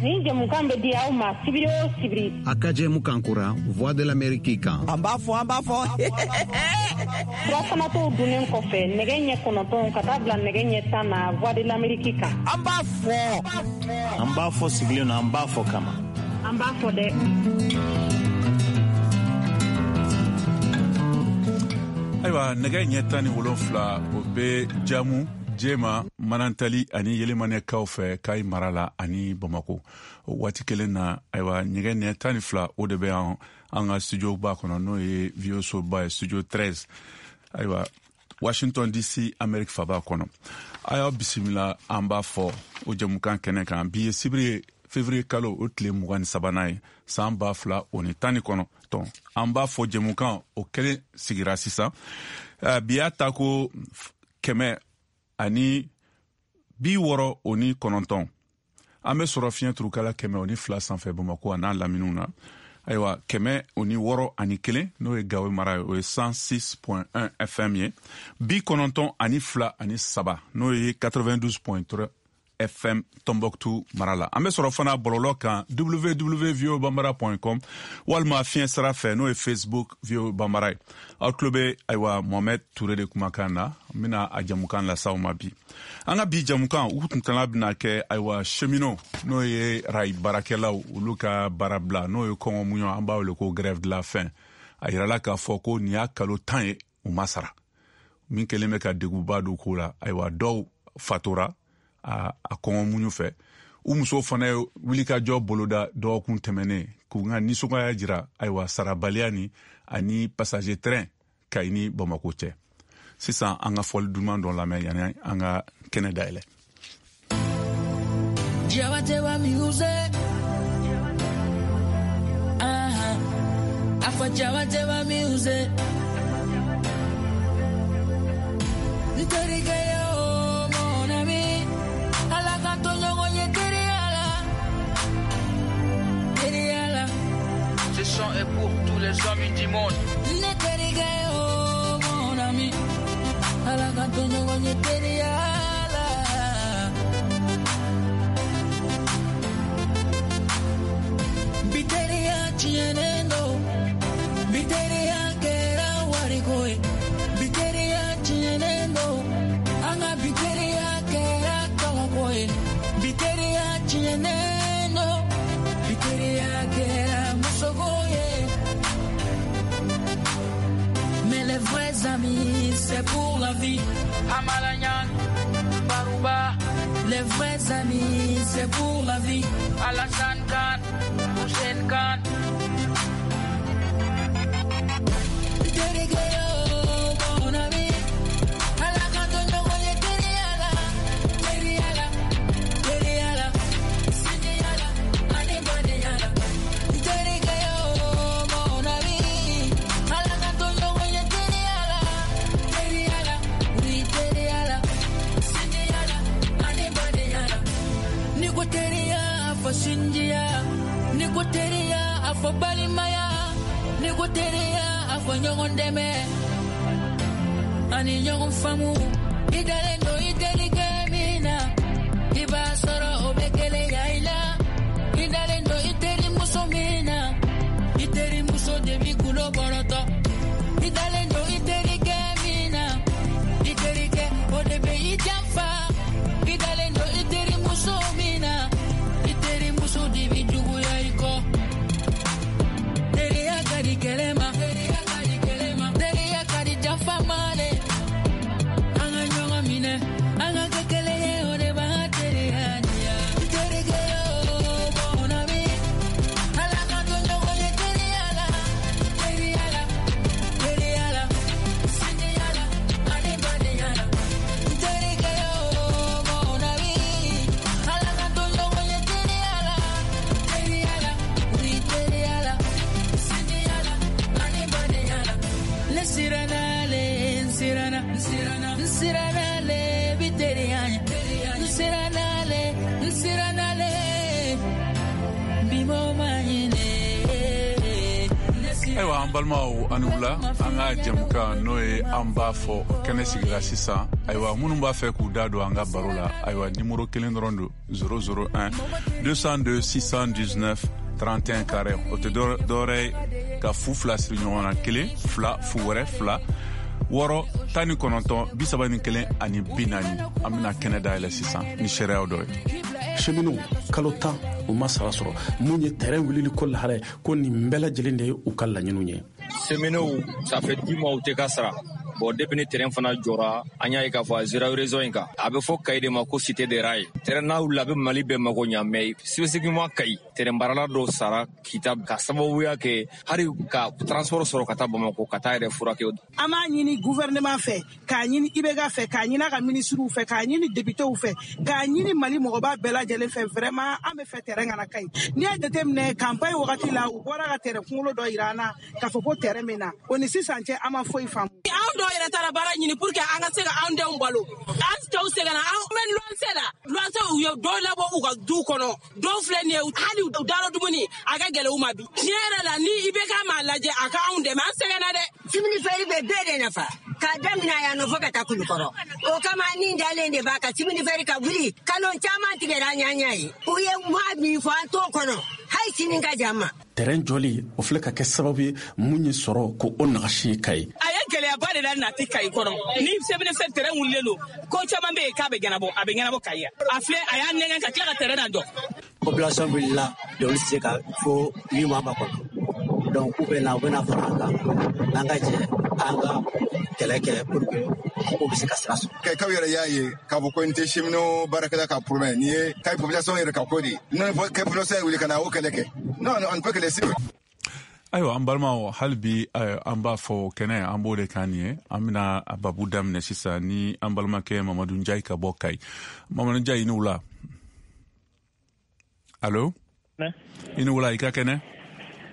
Nin jɛmukan bɛ di aw ma sibiri o sibiri. A ka jɛmukan kura Voix de l'Amérique kan. An b'a fɔ, an b'a fɔ. Furafanatɔw dunnen kɔfɛ nɛgɛ ɲɛ 9 ka taa bila nɛgɛ ɲɛ 10 na Voix de l'Amérique kan. An b'a fɔ. An b'a fɔ sigilen don, an b'a fɔ kama. An b'a fɔ dɛ. Ayiwa, nɛgɛ ɲɛ 17, o bɛ jamu jema Manantali ani Yelimanɛkaw fɛ Kayi mara la ani Bamako. O waati kelen na, ayiwa, nɛgɛ ɲɛ 12, o de bɛ yan an ka studio ba kɔnɔ, n'o ye VOA soba ye, studio 13, ayiwa, Washington DC, Amérique faba kɔnɔ. A y'aw bisimila an b'a fɔ o jɛmukan kɛnɛ kan. Bi ye sibiri ye, février kalo o tile 23nan ye, san 2019. An b'a fɔ jɛmukan o kelen sigira sisan. Bi y'a ta ko 169. An bɛ sɔrɔ fiɲɛ turukala 102 sanfɛ Bamakɔ a n'a laminiw na. Ayiwa, 161, n'o ye Gawo mara ye, o ye 106.1 FM ye. 92.3, n'o ye 92.3 FM Tombouctou mara la. An bɛ sɔrɔ fana bɔlɔlɔ kan, www.voabambara.com, walima fiɲɛ sira fɛ, n'o ye Facebook VOA Bambara ye. Aw tulo bɛ, ayiwa, Mohamed Touré de kumakan na. N bɛna a jamukan las'aw ma bi. An ka bi jamukan u kuntala bɛna kɛ, ayiwa, cheminot, n'o ye rail baarakɛlaw, olu ka baarabila, n'o ye kɔngɔ muɲu, an b'a wele ko grève de la faim. A yirala k'a fɔ ko nin y'a kalo 10 ye u ma sara, min kɛlen bɛ ka degunba don ko la. Ayiwa, dɔw fatura a kɔngɔ muɲu fɛ. U musow fana ye wulikajɔ boloda dɔgɔkun tɛmɛnen k'u ka nisɔngoya jira, ayiwa, sarabaliya ni ani passager train Kayi ni Bamako cɛ. Sisan an ka fɔli duman dɔ lamɛn yanni an ka kɛnɛ dayɛlɛ. Jabatewa music. Afa Jabatewa music. Nterike yo mon ami. Ala kanto ɲɔgɔn ye teriya teriya la. Ce son est pour tous les amis du monde. Ne terikɛ yo mon ami. Ala kanto ɲɔgɔn ye teriya la. Bi teriya tiɲɛnen don. Bi teriya kɛra wariko ye. Bi teriya tiɲɛnen don. An ka bi teriya kɛra tɔgɔko ye. Bi teriya tiɲɛnen don. Bi teriya kɛra musoko ye. Mais les vrais amis, c'est pour la vie. Amalanyan, Baruba. Les vrais amis, c'est pour la vie. Alassane Khan, Hussein Khan. Terike yo, mon ami. Ala kanto ɲɔgɔn ye teriya la. Teriya la, teriya la. Sinjiya la, ani badenya la. Terike yo, mon ami. Ala kanto ɲɔgɔn ye teriya la. Teriya la, oui, teriya la. Sinjiya la, ani badenya la. Ni ko teriya, a fɔ sinjiya. Ni ko teriya, a fɔ balimaya. Ni ko teriya, a fɔ ɲɔgɔn dɛmɛ. Ani ɲɔgɔn faamu. I dalen don i terikɛ min na, i b'a sɔrɔ o bɛ keleya i la. I dalen don i terimuso min na, i terimuso de b'i kulo bɔrɔtɔ. I dalen don i terikɛ min na, i terikɛ o de bɛ i janfa. I dalen don i terimuso min na, i terimuso de b'i juguya i kɔ. Teriya ka di kɛlɛ ma, teriya ka di kɛlɛ ma, teriya ka di janfa ma dɛ. An ka ɲɔgɔn minɛ, an ka kɛ kelen ye, o de b'an ka teriya ɲɛ. Ayiwa an balimaw ani wula, an ka jɛmukan n'o ye an b'a fɔ kɛnɛ sigira sisan. Ayiwa, minnu b'a fɛ k'u da don an ka baro la, ayiwa, nimoro kelen dɔrɔn don: 001 202 619 31 carré. O tɛ dɔwɛrɛ ye ka fu fila siri ɲɔgɔn na, kelen fila fu wɛrɛ fila wɔɔrɔ 19 31 ani 40. An bɛna kɛnɛ dayɛlɛ sisan ni seereyaw dɔ ye. Cheminots kalo 10, u ma sara sɔrɔ. Mun ye terrain wulili ko lahara ye, ko nin bɛɛ lajɛlen de ye u ka laɲiniw ye. Cheminots, ça fait 10 mois u tɛ ka sara. Bon, depuis ni terrain fana jɔra, an y'a ye k'a fɔ a zéro raison in kan. A bɛ fɔ Kayi de ma ko cité des rails. Terrain n'a wulila, a bɛ Mali bɛɛ mago ɲa, mais spécifiquement Kayi. Terrain baarala dɔw sara Kita ka sababuya kɛ hali ka transport sɔrɔ ka taa Bamakɔ ka taa yɛrɛ furakɛ. An b'a ɲini gouvernement fɛ, k'a ɲini IBK fɛ, k'a ɲini a ka ministres fɛ, k'a ɲini députés fɛ, k'a ɲini Mali mɔgɔba bɛɛ lajɛlen fɛ. Vraiment, an bɛ fɛ terrain ka na Kayi. N'i y'a jateminɛ, campagne wagati la, u bɔra ka terrain kunkolo dɔ yira an na k'a fɔ ko terrain bɛ na. O ni sisan cɛ, an ma foyi faamu. Anw dɔw yɛrɛ taara baara ɲini pour que an ka se ka anw denw balo. An cɛw sɛgɛnna, an bɛ luwanse la. Luwanse, u ye dɔw labɔ u ka du kɔnɔ. Dɔw filɛ nin ye, hali u darɔ dumuni a ka gɛlɛn u ma bi. Tiɲɛ yɛrɛ la, ni IBK m'a lajɛ a ka anw dɛmɛ, an sɛgɛnna dɛ. Chemin de fer bɛ bɛɛ de nafa, k'a daminɛ yan nɔ fo ka taa Kulukɔrɔ. O kama ni dalen de b'a kan, chemin de fer ka wuli. Kalo caman tigɛra an ɲɛ ye, u ye maa min fɔ, an t'o kɔnɔ hali sini ka jan ma. Terrain jɔli, o filɛ ka kɛ sababu ye mun ye sɔrɔ ko o nagasi ka ye. A ye gɛlɛyaba de la nati Kayi kɔnɔ. Ni chemin de fer terrain wulilen don, ko caman bɛ yen k'a bɛ ɲɛnabɔ, a bɛ ɲɛnabɔ Kayi yan. A filɛ, a y'a nɛgɛn ka tila ka terrain na jɔ. Population wulila, olu tɛ se ka fo 8 mois ma kɔnɔ. Donc k'u bɛ na, u bɛna fara an kan, an ka jɛ an ka kɛlɛ kɛ pour que ko bɛ se ka sira sɔrɔ. Kayikaw yɛrɛ y'a ye k'a fɔ ko nin tɛ cheminot baarakɛla ka problème, nin ye Kayi population yɛrɛ ka ko de ye. Non, Kayi population ye wuli ka na o kɛlɛ kɛ. Non, on ne peut que les suivre. Ayiwa, an balimaw, hali bi an b'a fɔ kɛnɛ, an b'o de kan nin ye. An bɛna a babu daminɛ sisan ni an balimakɛ Mamadu Njayi ka bɔ Kayi. Mamadu Njayi, i ni wula. Allo, i ni wula, i ka kɛnɛ?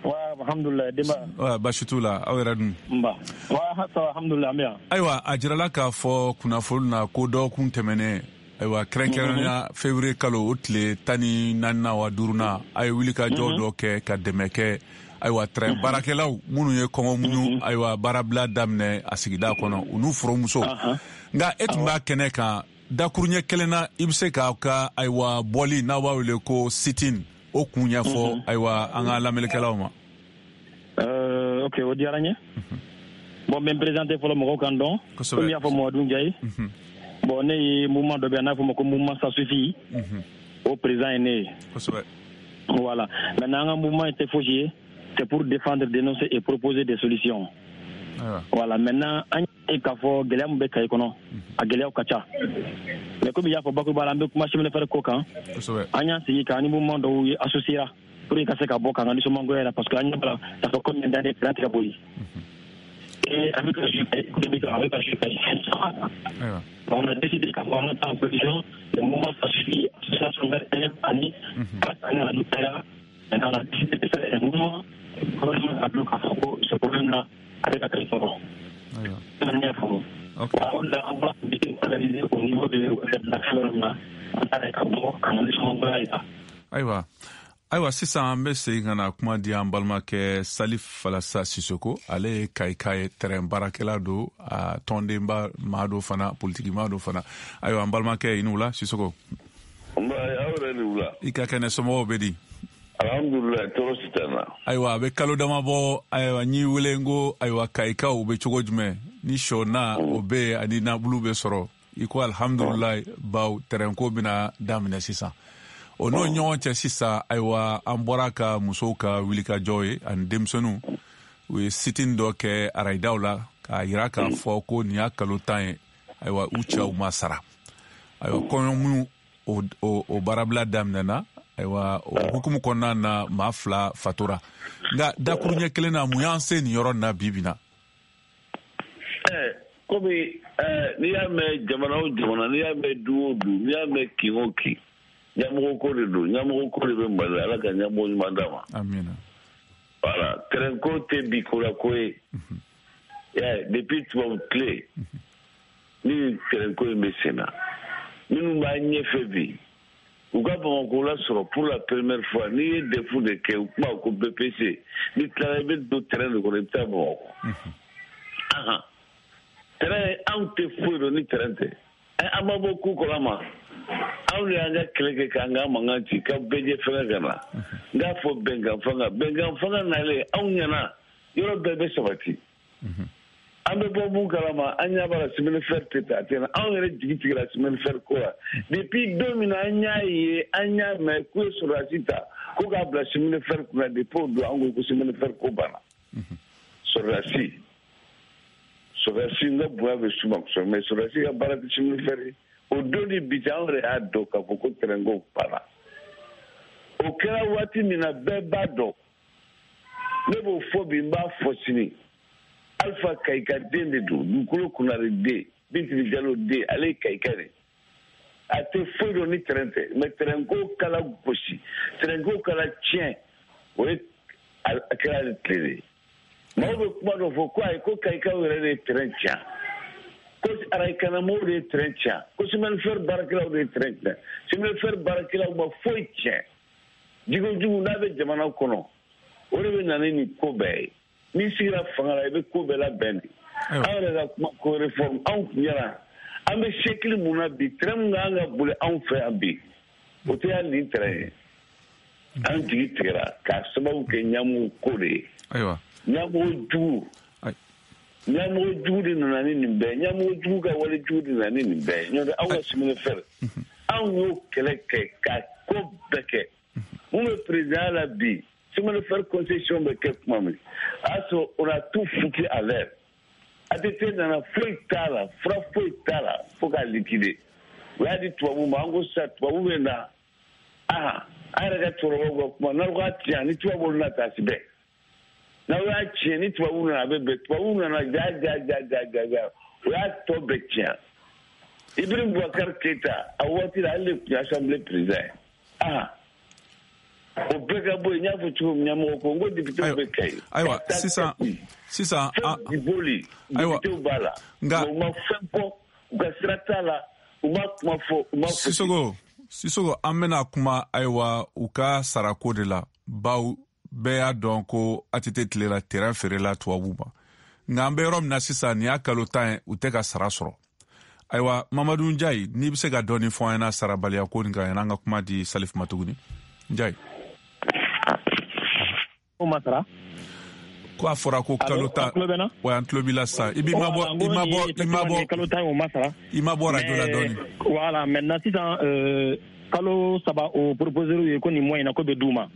Wa, alhamdulilah, denba. Wa, baasi t'u la, aw yɛrɛ dun? Nba wa, ça va, alhamdulilah, an bɛ yan. Ayiwa, a jirala k'a fɔ kunnafoni na ko dɔgɔkun tɛmɛnen, ayiwa, kɛrɛnkɛrɛnnenya février kalo o tile 14nan wa duurunan, a ye wulikajɔ dɔ kɛ ka dɛmɛ kɛ, ayiwa, train baarakɛlaw minnu ye kɔngɔ muɲu, ayiwa, baarabila daminɛ a sigida kɔnɔ, u n'u furumuso. Nka e tun b'a kɛnɛ kan dakuruɲɛ kelen na, i bɛ se k'aw ka, ayiwa, bɔli n'aw b'a wele ko sit-in, o kun ɲɛfɔ, ayiwa, an ka lamɛnnikɛlaw ma. Ok, o diyara n ye. Bon, n bɛ n présenter fɔlɔ, mɔgɔw kan dɔn. Komi i y'a fɔ, Mamadu Njayi. Bon, ne ye mouvement dɔ bɛ yan n'a fɔ ma ko mouvement Ça suffit, o président ye ne ye. Voilà. Maintenant, an ka mouvement tɛ fosi ye, c'est pour défendre, dénoncer et proposer des solutions. Voilà. Maintenant, an ye k'a fɔ gɛlɛya min bɛ Kayi kɔnɔ, a gɛlɛyaw ka ca. Mais komi i y'a fɔ bakuruba la, an bɛ kuma chemin de fer ko kan. An y'an sigi k'an ni mouvement dɔw ye associé pour que ka se ka bɔ k'an ka nisɔngoya la, parce que an ɲɛ b'a la, ça fait combien d'années train tɛ ka boli. Et avec le jeu économique, avec le jeu fɛn caman kan. On a décidé k'a fɔ an ka taa en position, le mouvement Ça suffit, association vers ani 4 années à nous. Maintenant, on a décidé de faire un mouvement, gouvernement a k'a fɔ ko ce problème là a bɛ ka Kayi sɔrɔ. An y'a faamu. O de la, an bɔra meeting organisé au niveau de la fɛn na, an taara ka bɔ ka na nisɔngoya yira. Ayiwa, sisan an bɛ segin ka na kuma di an balimakɛ Salif Falasa Sisoko. Ale ye Kayika ye, terrain baarakɛla don, a tɔndenba maa dɔ fana, politiki maa dɔ fana. Ayiwa, an balimakɛ, i ni wula, Sisoko. Nba, aw yɛrɛ ni wula. I ka kɛnɛ, somɔgɔw bɛ di? Alhamdulilayi, tɔɔrɔ si tɛ n na. Ayiwa, a bɛ kalo dama bɔ, ayiwa, n y'i wele, n ko ayiwa, Kayikaw bɛ cogo jumɛn ni sɔ na o bɛ yen ani nabulu bɛ sɔrɔ? I ko alhamdulilayi, baw terrain ko bɛna daminɛ sisan. O n'o ɲɔgɔn cɛ sisan, ayiwa, an bɔra ka musow ka wulikajɔ ye ani denmisɛnninw, u ye sit-in dɔ kɛ arayidaw la k'a yira k'a fɔ ko nin y'a kalo 10 ye, ayiwa, u cɛw ma sara. Ayiwa, kɔɲɔ minnu o baarabila daminɛna, ayiwa, o hukumu kɔnɔna na, maa fila fatura. Nka dakuruɲɛ kelen na, mun y'an se nin yɔrɔ na bi bi na? Komi n'i y'a mɛn jamana o jamana, n'i y'a mɛn du o du, n'i y'a mɛn kin o kin, ɲɛmɔgɔ ko de don, ɲɛmɔgɔ ko de bɛ Mali la. Ala ka ɲɛmɔgɔ ɲuman d'a ma. Amina. Voilà, terrain ko tɛ bi ko la ko ye. Depuis tubabu tile ni nin terrain ko in bɛ sen na, minnu b'a ɲɛfɛ bi, U ka Bamakɔ lasɔrɔ pour la première fois. N'i ye DEF de kɛ, u kuma ko BPC, n'i tilara i bɛ don terrain de kɔnɔ, i bɛ taa Bamakɔ. Terrain, anw tɛ foyi dɔn ni terrain tɛ. An ma bɔ ko kalama, anw de y'an ka kɛlɛ kɛ k'an ka mankan ci ka bɛɛ jɛ fɛngɛ ka na. N k'a fɔ bɛnkan fanga, bɛnkan fanga nalen, anw ɲɛna yɔrɔ bɛɛ bɛ sabati. An bɛ bɔ mun kalama, an ɲɛ b'a la chemin de fer tɛ taa, a tɛ na. Anw yɛrɛ jigi tigɛra chemin de fer ko la depuis don min na an y'a ye, an y'a mɛn k'u ye sɔrɔdasi ta ko k'a bila chemin de fer kunna. Depuis o don, an ko chemin de fer ko banna. Sɔrɔdasi, n ka bonya bɛ s'u ma kosɛbɛ, mais sɔrɔdasi ka baara tɛ chemin de fer ye. O don ni bi cɛ, anw yɛrɛ y'a dɔn k'a fɔ ko terrain ko banna. O kɛra waati min na, bɛɛ b'a dɔn. Ne b'o fɔ bi, n b'a fɔ sini. Alpha Kayika den de don, dugukolo kunnare den, Bintili Jalo den, ale ye Kayika de. A tɛ foyi dɔn ni terrain tɛ, mais terrain ko kala gosi, terrain ko kala tiɲɛ, o ye a kɛra ale tile de ye. Maaw bɛ kuma dɔ fɔ ko ayi, ko Kayikaw yɛrɛ de ye terrain tiɲɛ, ko arayikanamɔgɔw de ye terrain tiɲɛ, ko chemin de fer baarakɛlaw de ye terrain tiɲɛ. Chemin de fer baarakɛlaw ma foyi tiɲɛ. Jigojugu n'a bɛ jamana kɔnɔ, o de bɛ na ni nin ko bɛɛ ye. N'i sigira fanga la, i bɛ ko bɛɛ labɛn de. Anw yɛrɛ ka kuma ko réforme, anw tun ɲɛna an bɛ siècle mun na bi, train mun kan ka boli anw fɛ yan bi, o tɛ hali nin train ye. An jigi tigɛra k'a sababu kɛ ɲɛmɔgɔ ko de ye. Ayiwa, ɲɛmɔgɔ jugu, ɲɛmɔgɔ jugu de nana ni nin bɛɛ, ɲɛmɔgɔ jugu ka wale jugu de nana ni nin bɛɛ ye. N'o tɛ, anw ka chemin de fer, anw y'o kɛlɛ kɛ ka ko bɛɛ kɛ. Mun bɛ président la bi, chemin de fer concession bɛ kɛ tuma min, a y'a sɔrɔ on a tout foutu à l'air. ATT nana, foyi t'a la, fura foyi t'a la, fo k'a liquider. U y'a di tubabu ma, an ko sisan tubabu bɛ na. An yɛrɛ ka cɛkɔrɔbaw ka kuma, n'aw k'a tiɲɛ ni tubabu nana taa si bɛɛ. N'aw y'a tiɲɛ ni tubabu nana, a bɛ bɛn. Tubabu nana, ja ja ja ja ja ja, u y'a tɔ bɛɛ tiɲɛ. Ibrahim Boubacar Keita, a waati la, ale de tun ye assemblée président ye. O bɛɛ ka bɔ yen, n y'a fɔ cogo min, ɲɛmɔgɔ ko n ko député bɛ Kayi. Ayiwa, sisan fɛn boli, député b'a la. Nka u ma fɛn fɔ, u ka sira t'a la, u ma kuma fɔ, u ma fɔ. Sisoko, an bɛna kuma ayiwa u ka sarako de la, bawo bɛɛ y'a dɔn ko ATT tile la terrain feerela tubabu ma. Nka an bɛ yɔrɔ min na sisan, nin y'a kalo 10 ye, u tɛ ka sara sɔrɔ. Ayiwa, Mamadu Njayi, n'i bɛ se ka dɔɔni fɔ an ɲɛna sarabaliya ko nin kan, yan'an ka kuma di Salif ma tuguni. Njayi. O ma sara. Ko a fɔra ko kalo 10. Wa an tulo b'i la sisan. I b'i mabɔ, i mabɔ, i mabɔ. Kalo 10 o ma sara. I mabɔ radio la dɔɔni. Voilà, maintenant sisan kalo 3 o proposer ye ko nin mois in na ko bɛ d'u ma.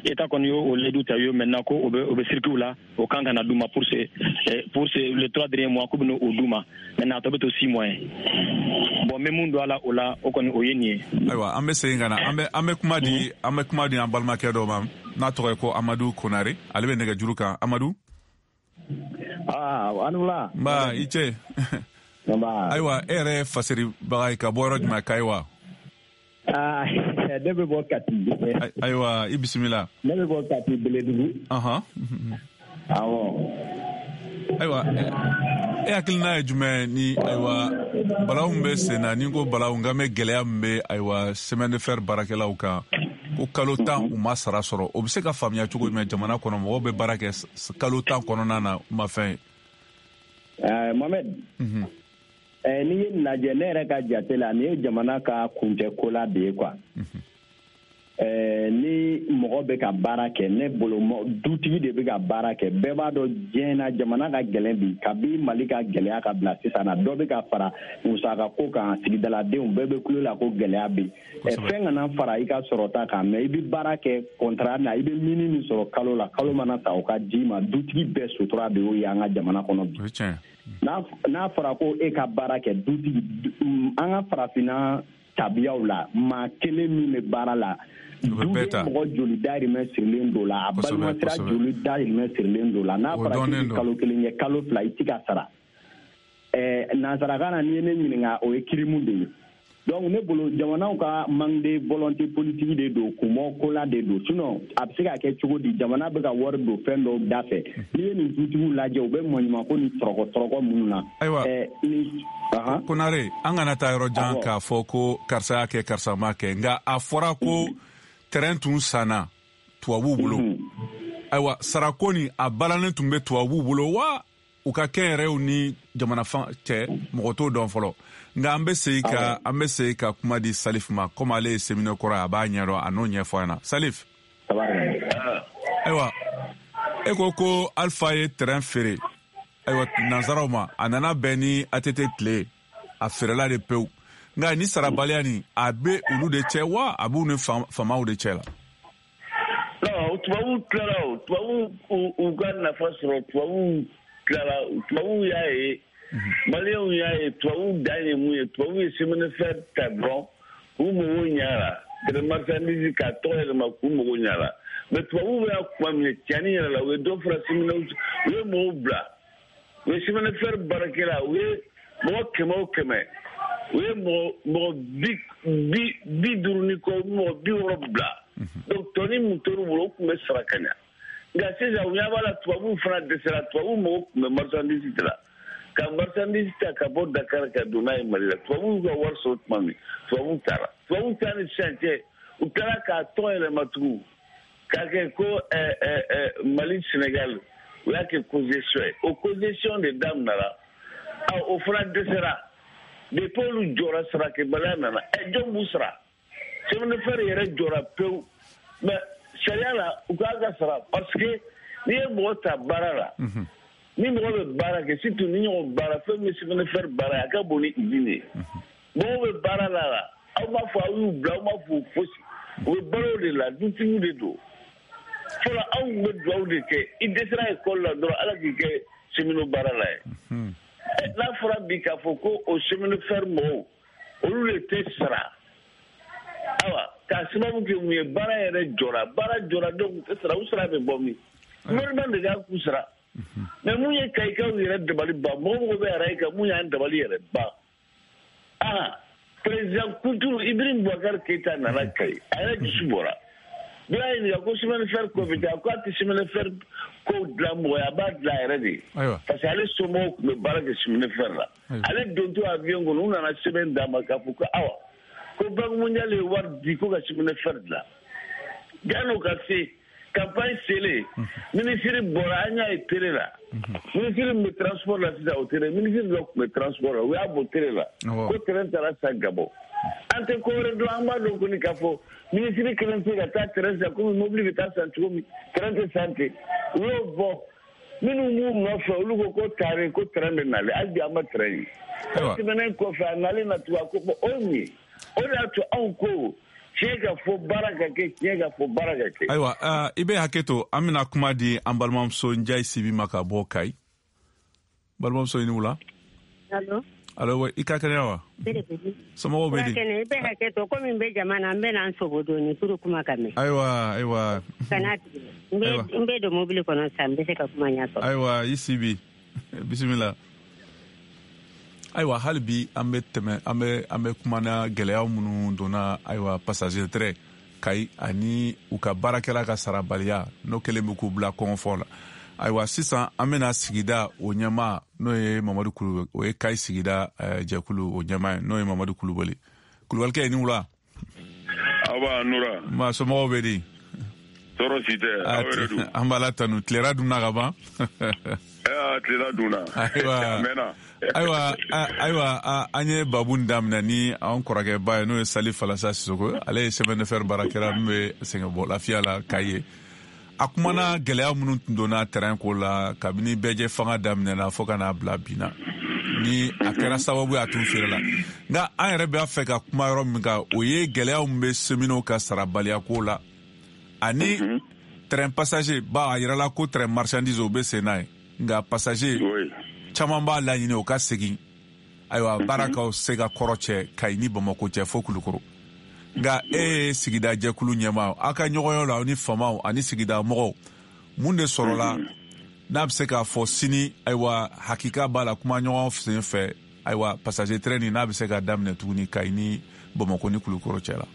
État kɔni y'o layidu ta ye maintenant ko o bɛ circuit la, o kan ka na d'u ma pour ce les 3 derniers mois ko bɛ n'o d'u ma. Maintenant a tɔ bɛ to 6 mois ye. Bon, n bɛ mun don a la o la, o kɔni o ye nin ye. Ayiwa, an bɛ segin ka na, an bɛ kuma di, an bɛ kuma di an balimakɛ dɔ ma n'a tɔgɔ ye ko Amadu Konare, ale bɛ nɛgɛjuru kan. Amadu. Aa, an wula. Nba, i ce. Nba. Ayiwa, e yɛrɛ ye faseribaga ye ka bɔ yɔrɔ jumɛn, Kayi wa? Ne bɛ bɔ Kati. Ayiwa, i bisimila. Ne bɛ bɔ Kati Beledugu. Awɔ. Ayiwa, e hakilina ye jumɛn ni ayiwa balawu min bɛ sen na, ni ko balawu, n kan bɛ gɛlɛya min bɛ ayiwa chemin de fer baarakɛlaw kan, ko kalo 10 u ma sara sɔrɔ, o bɛ se ka faamuya cogo jumɛn jamana kɔnɔ, mɔgɔw bɛ baara kɛ kalo 10 kɔnɔna na, u ma fɛn ye? Mohamed. N'i ye nin lajɛ, ne yɛrɛ ka jate la, nin ye jamana ka kuncɛ kola de ye quoi. Ni mɔgɔ bɛ ka baara kɛ, ne bolo dutigi de bɛ ka baara kɛ. Bɛɛ b'a dɔn diɲɛ na jamana ka gɛlɛn bi, kabi Mali ka gɛlɛya ka bila sisan na, dɔ bɛ ka fara musaka ko kan, sigidaladenw bɛɛ bɛ kulo la ko gɛlɛya bɛ yen. Fɛn kana fara i ka sɔrɔta kan, mais i bɛ baara kɛ contrat na, i bɛ mini min sɔrɔ kalo la, kalo mana ta o ka d'i ma. Dutigi bɛɛ sutura de y'o ye an ka jamana kɔnɔ bi. N'a fɔra ko e ka baara kɛ dutigi, an ka farafinna tabiyaw la, maa kelen min bɛ baara la, duden mɔgɔ joli dahirimɛ sirilen don la, a balimasira joli dahirimɛ sirilen don la. N'a fɔra k'i bɛ kalo 1 kɛ, kalo 2 i tɛ ka sara. Nansarakan na, n'i ye ne ɲininka, o ye kirimu de ye. Donc ne bolo jamanaw ka manque de volonté politique de don, kunmɔ kola de don. Sinon a bɛ se ka kɛ cogo di, jamana bɛ ka wari don fɛn dɔw da fɛ? N'i ye nin dutigiw lajɛ, u bɛ maɲumanko ni tɔrɔkɔ minnu na. Ayiwa, Konare, an kana taa yɔrɔ jan k'a fɔ ko karisa y'a kɛ, karisa m'a kɛ, nka a fɔra ko terrain tun sanna tubabuw bolo. Ayiwa, sarako nin a balannen tun bɛ tubabuw bolo wa u ka kɛnyɛrɛw ni jamana fan cɛ, mɔgɔ t'o dɔn fɔlɔ. Nka an bɛ segin ka kuma di Salif ma, komi ale ye séminaire kɔrɔ ye, a b'a ɲɛdɔn, a n'o ɲɛfɔ an ɲɛna. Salif, ayiwa, e ko Alpha ye terrain feere, ayiwa, nansaraw ma, a nana bɛn ni ATT tile, a feerela de pewu. Nka ni sarabaliya nin, a bɛ olu de cɛ wa a b'u ni faamaw de cɛ la? Non, tubabuw tilara, o tubabuw u ka nafa sɔrɔ, tubabuw tilara, tubabuw y'a ye, maliyɛnw y'a ye, tubabuw dan ye mun ye? Tubabuw ye chemin de fer ta dɔrɔn k'u mago ɲa la, marchandise k'a tɔgɔ yɛlɛma k'u mago ɲa la. Mais tubabuw bɛ kuma min ye tiɲɛni yɛrɛ la, u ye dɔ fara chemin, u ye mɔgɔw bila, u ye chemin de fer baarakɛla, u ye mɔgɔ 100 o 100, u ye mɔgɔ 50 ni kɔ, mɔgɔ 60 bila. Donc tɔni mun tor'u bolo, o tun bɛ sara ka ɲa. Nka sisan u ɲɛ b'a la, tubabuw fana dɛsɛra, tubabuw mago tun bɛ marchandise de la, ka marchandise ta ka bɔ Dakar ka don n'a ye Mali la. Tubabuw y'u ka wari sɔrɔ tuma min, tubabuw taara. Tubabuw ta ni sisan cɛ, u taara k'a tɔgɔ yɛlɛma tugun k'a kɛ ko Mali Sénégal, u y'a kɛ concession ye. O concession de daminɛra, o fana dɛsɛra. Depuis olu jɔra, sarakɛbaliya nana. Jɔn b'u sara? Chemin de fer yɛrɛ jɔra pewu. Mais sariya la, u k'a ka sara, parce que n'i ye mɔgɔ ta baara la, ni mɔgɔ bɛ baara kɛ, surtout ni ɲɔgɔn baara fɛn min bɛ chemin de fer baara ye, a ka bon ni usine ye. Mɔgɔw bɛ baara la, aw m'a fɔ aw y'u bila, aw m'a fɔ fosi, u bɛ balo de la, dutigiw de don. Fɔlɔ anw tun bɛ dugawu de kɛ, i dɛsɛra ekɔli la dɔrɔn, Ala k'i kɛ cheminot baara la ye. N'a fɔra bi k'a fɔ ko o chemin de fer mɔgɔw, olu de tɛ sara, awa, k'a sababu kɛ mun ye? Baara yɛrɛ jɔra, baara jɔra, donc u tɛ sara, u sara bɛ bɔ min? Gouvernement de k'a k'u sara. Mais mun ye Kayikaw yɛrɛ dabali ban, mɔgɔ mɔgɔ bɛ arayi kan, mun y'an dabali yɛrɛ ban? Président Kunturu Ibrahim Boubacar Keïta nana Kayi, a yɛrɛ dusu bɔra. Dɔ y'a ɲininka ko chemin de fer ko bɛ taa, k'a tɛ chemin de fer ko dilan mɔgɔ ye, a b'a dilan a yɛrɛ de ye. Parce que ale somɔgɔw tun bɛ baara kɛ chemin de fer la. Ale dontɔ avion kɔnɔ, u nana sɛbɛn d'a ma k'a fɔ ko awa, ko Banque mondiale ye wari di ko ka chemin de fer dilan. Jan'o ka se, campagne selen, ministre bɔra, an y'a ye télé la. Ministre min bɛ transport la sisan, o télé, ministre dɔ tun bɛ transport la, u y'a bɔ télé la. Ko terrain taara san Gabon. An tɛ ko wɛrɛ dɔn, an b'a dɔn kɔni k'a fɔ ministre kelen tɛ se ka taa terrain san komi mobili bɛ taa san cogo min, terrain tɛ san ten. U y'o bɔ, minnu b'u nɔfɛ, olu ko tare ko terrain bɛ nalen, hali bi an ma terrain ye. O tɛmɛnen kɔfɛ, a nalen na tugun, a ko o ye mun ye? O de y'a to anw ko tiɲɛ ka fɔ baara ka kɛ, tiɲɛ ka fɔ baara ka kɛ. Ayiwa, i bɛ hakɛ to, an bɛna kuma di an balimamuso Njayi Sibi ma ka bɔ Kayi. Balimamuso, i ni wula. Allo. Allo, i ka kɛnɛya wa? Somɔgɔw bɛ di? I bɛ hakɛ to, komi n bɛ jama na, n bɛ na n sogo dɔɔni pour kuma ka mɛn. Ayiwa, ayiwa. Kana tigɛ. N bɛ don mobili kɔnɔ sisan, n bɛ se ka kuma ɲɛfɔ. Ayiwa, i Sibi, bisimila. Ayiwa, hali bi an bɛ tɛmɛ, an bɛ kuma na gɛlɛya minnu donna, ayiwa, passager train Kayi ani u ka baarakɛla ka sarabaliya, n'o kɛlen bɛ k'u bila kɔngɔfɔ la. Ayiwa, sisan an bɛna sigida o ɲɛmaa, n'o ye Mamadu Kulubali, o ye Kayi sigida jɛkulu o ɲɛmaa ye, n'o ye Mamadu Kulubali. Kulubalikɛ, i ni wula. Aba Nura. Ma somɔgɔw bɛ di? Tɔɔrɔ si tɛ, aw yɛrɛ dun? An b'a la tanu, tilera dunna ka ban. Tilela dunna. Ayiwa. A mɛnna. Ayiwa, an ye babu nin daminɛ ni an kɔrɔkɛba ye, n'o ye Salif Falasa Sisoko, ale ye chemin de fer baarakɛla min bɛ sɛgɛnbɔ lafiya la Kayi ye. A kumana gɛlɛya minnu tun donna terrain ko la kabini bɛɛjɛ fanga daminɛna fo ka n'a bila bi na, ni a kɛra sababu ye a tun feere la. Nka an yɛrɛ b'a fɛ ka kuma yɔrɔ min kan, o ye gɛlɛya min bɛ cheminots ka sarabaliya ko la ani train passager. Ba a yirala ko train marchandise o bɛ sen n'a ye, nka passager caman b'a laɲini o ka segin. Ayiwa, baara ka se ka kɔrɔ cɛ Kayi ni Bamakɔ cɛ fo Kulukoro. Nka e ye sigida jɛkulu ɲɛmaa, aw ka ɲɔgɔnyɔ la, aw ni faamaw ani sigida mɔgɔw, mun de sɔrɔla n'a bɛ se k'a fɔ sini, ayiwa, hakika b'a la kuma ɲɔgɔn sen fɛ, ayiwa, passager train nin n'a bɛ se ka daminɛ tuguni Kayi ni Bamakɔ ni Kulukɔrɔ cɛ la.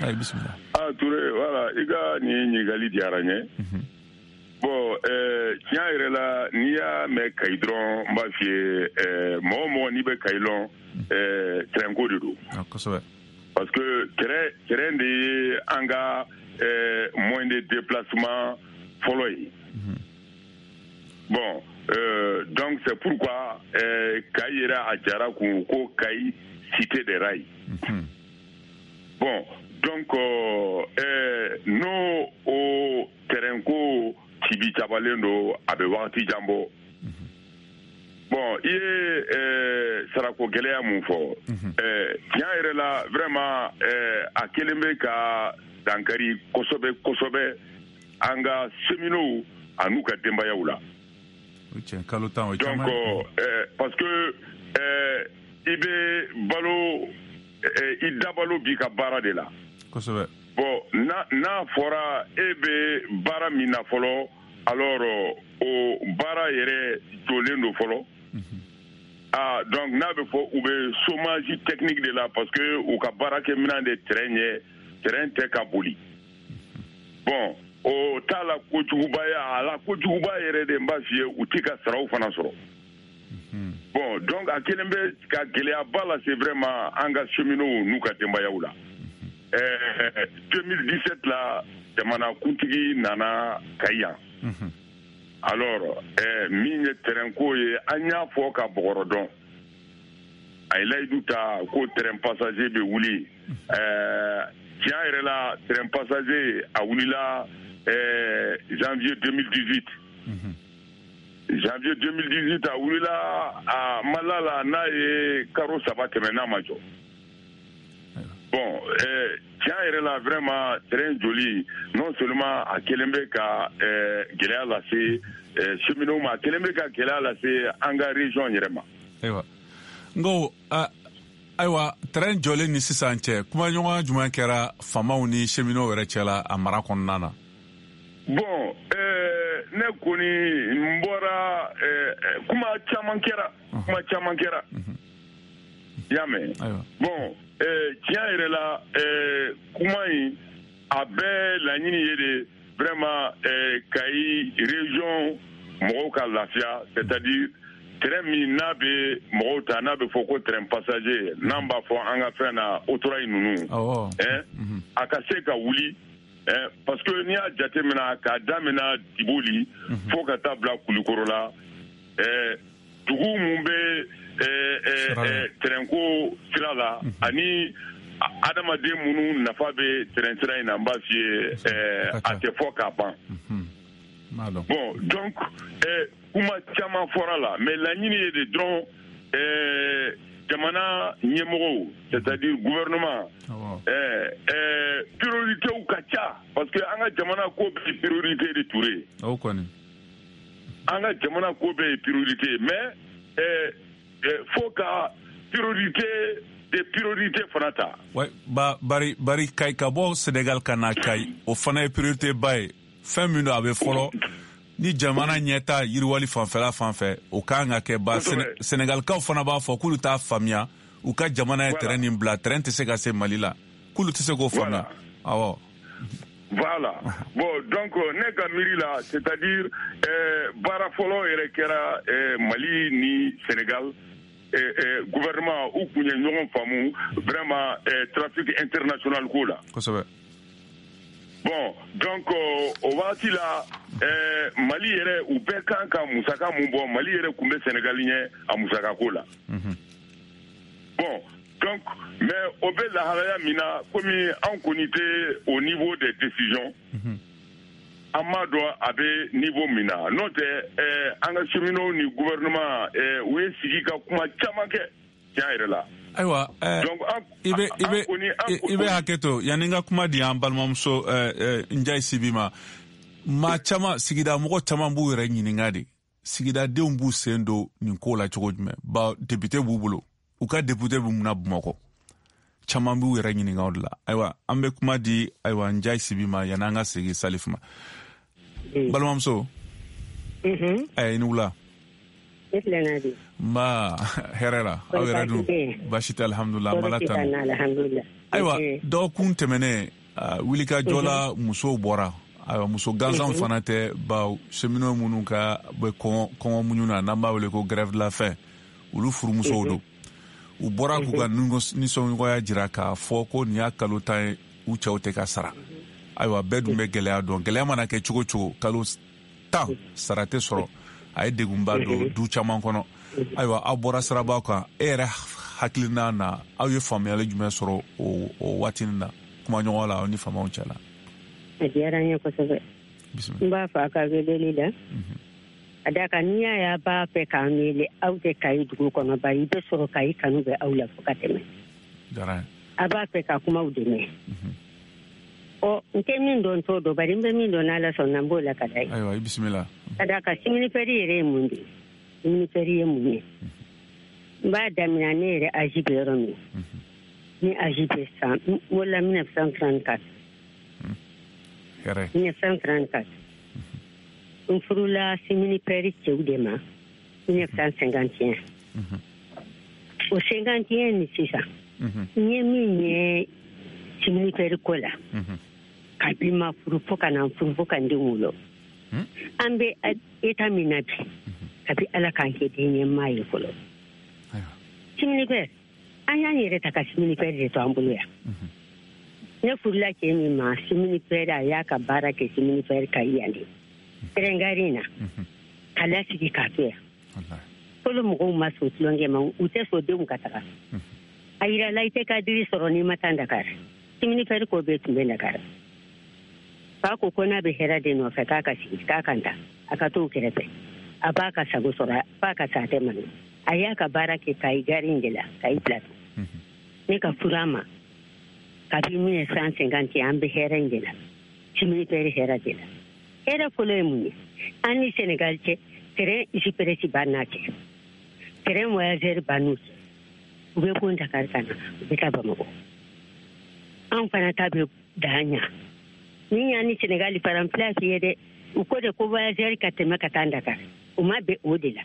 Ayi, bisimila. Ah, Touré, voilà, i ka nin ɲininkali diyara n ye. Bon, tiɲɛ yɛrɛ la, n'i y'a mɛn Kayi dɔrɔn, n b'a f'i ye, mɔgɔ o mɔgɔ n'i bɛ Kayi lɔn, terrain ko de don. Kosɛbɛ. Parce que terrain de ye an ka moyen de déplacement fɔlɔ ye. Bon, donc c'est pourquoi Kayi yɛrɛ a jara kun ko Kayi cité des rails. Bon, donc n'o o terrain ko tibi cabalen don, a bɛ wagati jan bɔ. Bon, i ye sarako gɛlɛya mun fɔ, tiɲɛ yɛrɛ la, vraiment, a kelen bɛ ka dankari kosɛbɛ kosɛbɛ an ka cheminots an'u ka denbayaw la. O tiɲɛ, kalo 10 o ye Donc caman ye. Parce que i bɛ balo, i dabalo b'i ka baara de la. Bon, n'a fɔra e bɛ baara min na fɔlɔ, alors o baara yɛrɛ jɔlen don fɔlɔ. Ah, donc n'a bɛ fɔ u bɛ chômage technique de la, parce que u ka baarakɛminɛn de terrain ye, terrain tɛ ka boli. Bon, o t'a la kojuguba ye, a la kojuguba yɛrɛ de, n b'a f'i ye, u t'i ka saraw fana sɔrɔ. Bon, donc a kelen bɛ ka gɛlɛyaba lase vraiment an ka cheminots n'u ka denbayaw la. 2017 la, jamana kuntigi nana Kayi yan. Alors min ye terrain ko ye, an y'a fɔ ka bɔgɔrɔ dɔn, a ye layidu ta ko train passager bɛ wuli. Tiɲɛ yɛrɛ la, train passager a wulila janvier 2018. Janvier 2018 a wulila, a ma la n'a ye karo 3 tɛmɛ n'a ma jɔ. Bon, tiɲɛ yɛrɛ la, vraiment, train joli, non seulement a kelen bɛ ka gɛlɛya lase cheminots ma, a kelen bɛ ka gɛlɛya lase an ka région yɛrɛ ma. Ayiwa, n ko ayiwa, train jɔlen ni sisan cɛ, kumaɲɔgɔnya jumɛn kɛra faamaw ni cheminots yɛrɛ cɛ la a mara kɔnɔna na? Bon, ne kɔni n bɔra, kuma caman kɛra, kuma caman kɛra, i y'a mɛn. Bon, tiɲɛ yɛrɛ la, kuma in a bɛɛ laɲini ye de vraiment Kayi région mɔgɔw ka lafiya, c'est-à-dire train min n'a bɛ mɔgɔw ta, n'a bɛ fɔ ko train passager, n'an b'a fɔ an ka fɛn na autorail ninnu, a ka se ka wuli, parce que n'i y'a jateminɛ k'a daminɛ Diboli fo ka taa bila Kulikɔrɔ la, dugu mun bɛ train ko sira la, ani adamaden minnu nafa bɛ train sira in na, n b'a f'i ye, a tɛ fɔ k'a ban. Bon, donc kuma caman fɔra la, mais laɲini ye de dɔrɔn jamana ɲɛmɔgɔw, c'est-à-dire gouvernement, prioritéw ka ca, parce que an ka jamana ko bɛɛ ye priorité de, Touré. O kɔni. An ka jamana ko bɛɛ ye priorité, mais fo ka priorité de priorité fana ta. Ouais, ba bari bari Kayi ka bɔ Sénégal ka na Kayi, o fana ye priorité ba ye. Fɛn min don, a bɛ fɔlɔ ni jamana ɲɛta yiriwali fanfɛla fan fɛ, o kan ka kɛ ba. Sénégalikaw fana b'a fɔ k'olu t'a faamuya, u ka jamana ye train nin bila, train tɛ se ka se Mali la, k'olu tɛ se k'o faamuya, awɔ. Voilà. Bon, donc, ne ka miiri la, c'est-à-dire baara fɔlɔ yɛrɛ kɛra Mali ni Sénégal gouvernement u kun ye ɲɔgɔn faamu vraiment trafic international ko la. Bon, donc o wagati la, Mali yɛrɛ u bɛɛ kan ka musaka mun bɔ, Mali yɛrɛ kun bɛ Sénégal ɲɛ a musaka ko la. Bon, donc, mais o bɛ lahalaya min na, komi anw kɔni tɛ au niveau des décisions, an m'a dɔn a bɛ niveau min na. N'o tɛ, an ka cheminots ni gouvernement, u ye sigi ka kuma caman kɛ tiɲɛ yɛrɛ la. Ayiwa, i bɛ hakɛ to, yanni n ka kuma di an balimamuso Njayi Sibi ma. Maa caman, sigida mɔgɔ caman b'u yɛrɛ ɲininka de, sigidadenw b'u sen don nin ko la cogo jumɛn? Ba député b'u bolo, u ka député bɛ mun na Bamakɔ? Caman b'u yɛrɛ ɲininka o de la. Ayiwa, an bɛ kuma di, ayiwa, Njayi Sibi ma, yanni an ka segin Salif ma. Balimamuso, i ni wula. E tilenna di? Nba, hɛrɛ la. Aw yɛrɛ dun? Baasi tɛ, alhamdulilah, an b'Ala tanu. Ayiwa, dɔgɔkun tɛmɛnen wulikajɔ la, musow bɔra. Ayiwa, muso gansanw fana tɛ, bawo cheminot minnu ka bɛ kɔngɔ muɲu na, n'an b'a wele ko grève de la faim, olu furumusow don. U bɔra k'u ka nisɔngoya jira k'a fɔ ko nin y'a kalo 10 ye, u cɛw tɛ ka sara. Ayiwa, bɛɛ dun bɛ gɛlɛya dɔn. Gɛlɛya mana kɛ cogo cogo, kalo 10 sara tɛ sɔrɔ, a ye degunba don du caman kɔnɔ. Ayiwa, aw bɔra sirabaw kan, e yɛrɛ hakilina na, aw ye faamuyali jumɛn sɔrɔ o waati na kumaɲɔgɔn la aw ni faamaw cɛ la? A diyara n ye kosɛbɛ. N b'a fɔ a ka weleli la. A da kan, n'i y'a ye a b'a fɛ k'an wele, aw tɛ Kayi dugu kɔnɔ, bari i bɛ sɔrɔ Kayi kanu bɛ aw la fo ka tɛmɛ. A b'a fɛ ka kumaw dɛmɛ. Ɔ, n tɛ min dɔn, t'o dɔn, bari n bɛ min dɔn, n'Ala sɔnna, n b'o la ka da ye. Ayiwa, i bisimila. Ka d'a kan, chemin-fer yɛrɛ ye mun de ye? Chemin-fer ye mun ye? N b'a daminɛ ne yɛrɛ âge bɛ yɔrɔ min. Ni âge bɛ san, n wolola 1934. Hɛrɛ. 1934. N furula chemin-fer cɛw de ma 1951. O 51 ni sisan, n ye min ye chemin-fer ko la, kabi ma furu fo ka na n furu fo ka n den wolo, an bɛ état min na bi, kabi Ala k'an kɛ den ɲɛmaa ye fɔlɔ. Chemin-fer, an y'an yɛrɛ ta ka chemin-fer de to an bolo yan. Ne furula cɛ min ma chemin-fer, a y'a ka baara kɛ chemin-fer ka yan de train gare in na, ka lasigi k'a to yan. Fɔlɔ mɔgɔw ma sɔn tulonkɛ ma, u tɛ sɔn denw ka taga. A yirala i tɛ cadre sɔrɔ n'i ma taa Dakar. Chemin-fer ko bɛɛ tun bɛ Dakar. Fa ko ko n'a bɛ hɛrɛ de nɔfɛ, k'a ka sigi, k'a kan ta, a ka t'o kɛrɛfɛ, a b'a ka sago sɔrɔ, f'a ka sa, a tɛ malo. A y'a ka baara kɛ Kayi gare in de la, Kayi plateau. Ne ka furu a ma kabi 1950, an bɛ hɛrɛ in de la, chemin-fer hɛrɛ de la. Hɛrɛ fɔlɔ ye mun ye? An ni Senegal cɛ, train express b'an n'a cɛ, train voyageur b'an n'u cɛ. U bɛ bɔ Dakar ka na, u bɛ taa Bamakɔ. An fana ta bɛ dan ɲa. Ni y'an ni Senegal faran place ye dɛ, u ko de ko voyageur ka tɛmɛ ka taa Dakar. U ma bɛn o de la.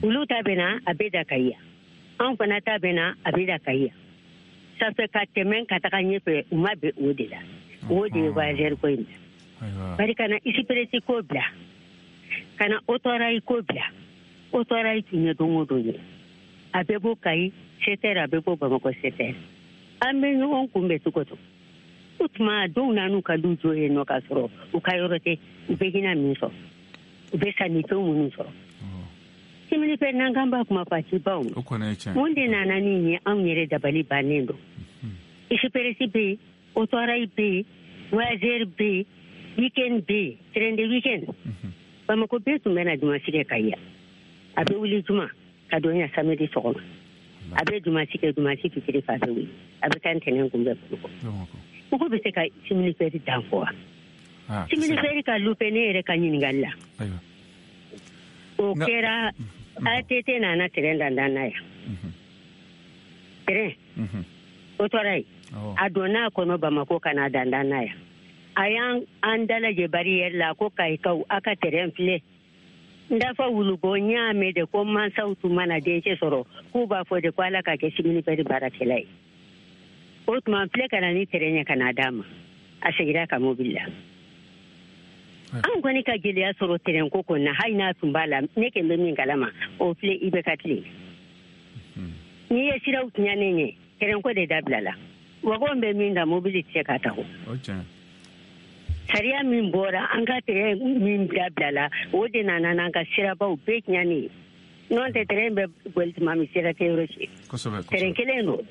Olu ta bɛ na, a bɛ da Kayi yan. Anw fana ta bɛ na, a bɛ da Kayi yan. Ça fait ka tɛmɛ ka taga ɲɛfɛ, u ma bɛn o de la. O de ye voyageur ko in bila. Bari ka na express ko bila, ka na autorail ko bila. Autorail tun ye don o don ye. A bɛ bɔ Kayi 7 heures, a bɛ bɔ Bamakɔ 7 heures. An bɛ ɲɔgɔn kunbɛn cogo cogo. O tuma dɔw nan'u ka du jɔ yen nɔ k'a sɔrɔ u ka yɔrɔ tɛ, u bɛ hinɛ min sɔrɔ, u bɛ sannifɛn minnu sɔrɔ. Chemin-fer n'an k'an b'a kuma fɔ, a ti ban o. Mun de nana ni ye? Anw yɛrɛ dabali bannen don. Express bɛ yen, autorail bɛ yen, voyageur bɛ yen, week-end bɛ yen, train de week-end. Bamakɔ bɛɛ tun bɛ na dimanche kɛ Kayi yan. A bɛ wuli juma ka don yan samedi sɔgɔma. A bɛ dimanche kɛ, dimanche fitiri fɛ a bɛ wuli. A bɛ taa ntɛnɛn kunbɛn Bamakɔ. Mɔgɔ bɛ se ka chemin-fer dan fɔ wa? Chemin-fer ka lupe ne yɛrɛ ka ɲininkali la. O kɛra ATT nana train dandan na yan. Train. Autorail. A donna a kɔnɔ Bamakɔ ka na dandan na yan. A y'an an dalajɛ barrière la ko Kayikaw, a ka train filɛ. N dafa wulubɔ, n y'a mɛn de ko mansaw tun mana dencɛ sɔrɔ k'u b'a fɔ de ko Ala ka kɛ chemin-fer baarakɛla ye. O tuma n filɛ ka na ni train ye ka n'a d'a ma. A seginna ka mobili la. An kɔni ka gɛlɛya sɔrɔ train ko kɔni na, hali n'a tun b'a la, ne kɛn bɛ min kalama, o filɛ IBK tile. N'i ye siraw tiɲɛnen ye, train ko de dabila la. Wagon bɛ min ta, mobili tɛ se k'a ta o. Sariya min bɔra, an ka train min dabila la, o de nana n'an ka sirabaw bɛɛ tiɲɛnen ye. N'o tɛ, train bɛ boli tuma min, sira tɛ yɔrɔ si. Train kelen don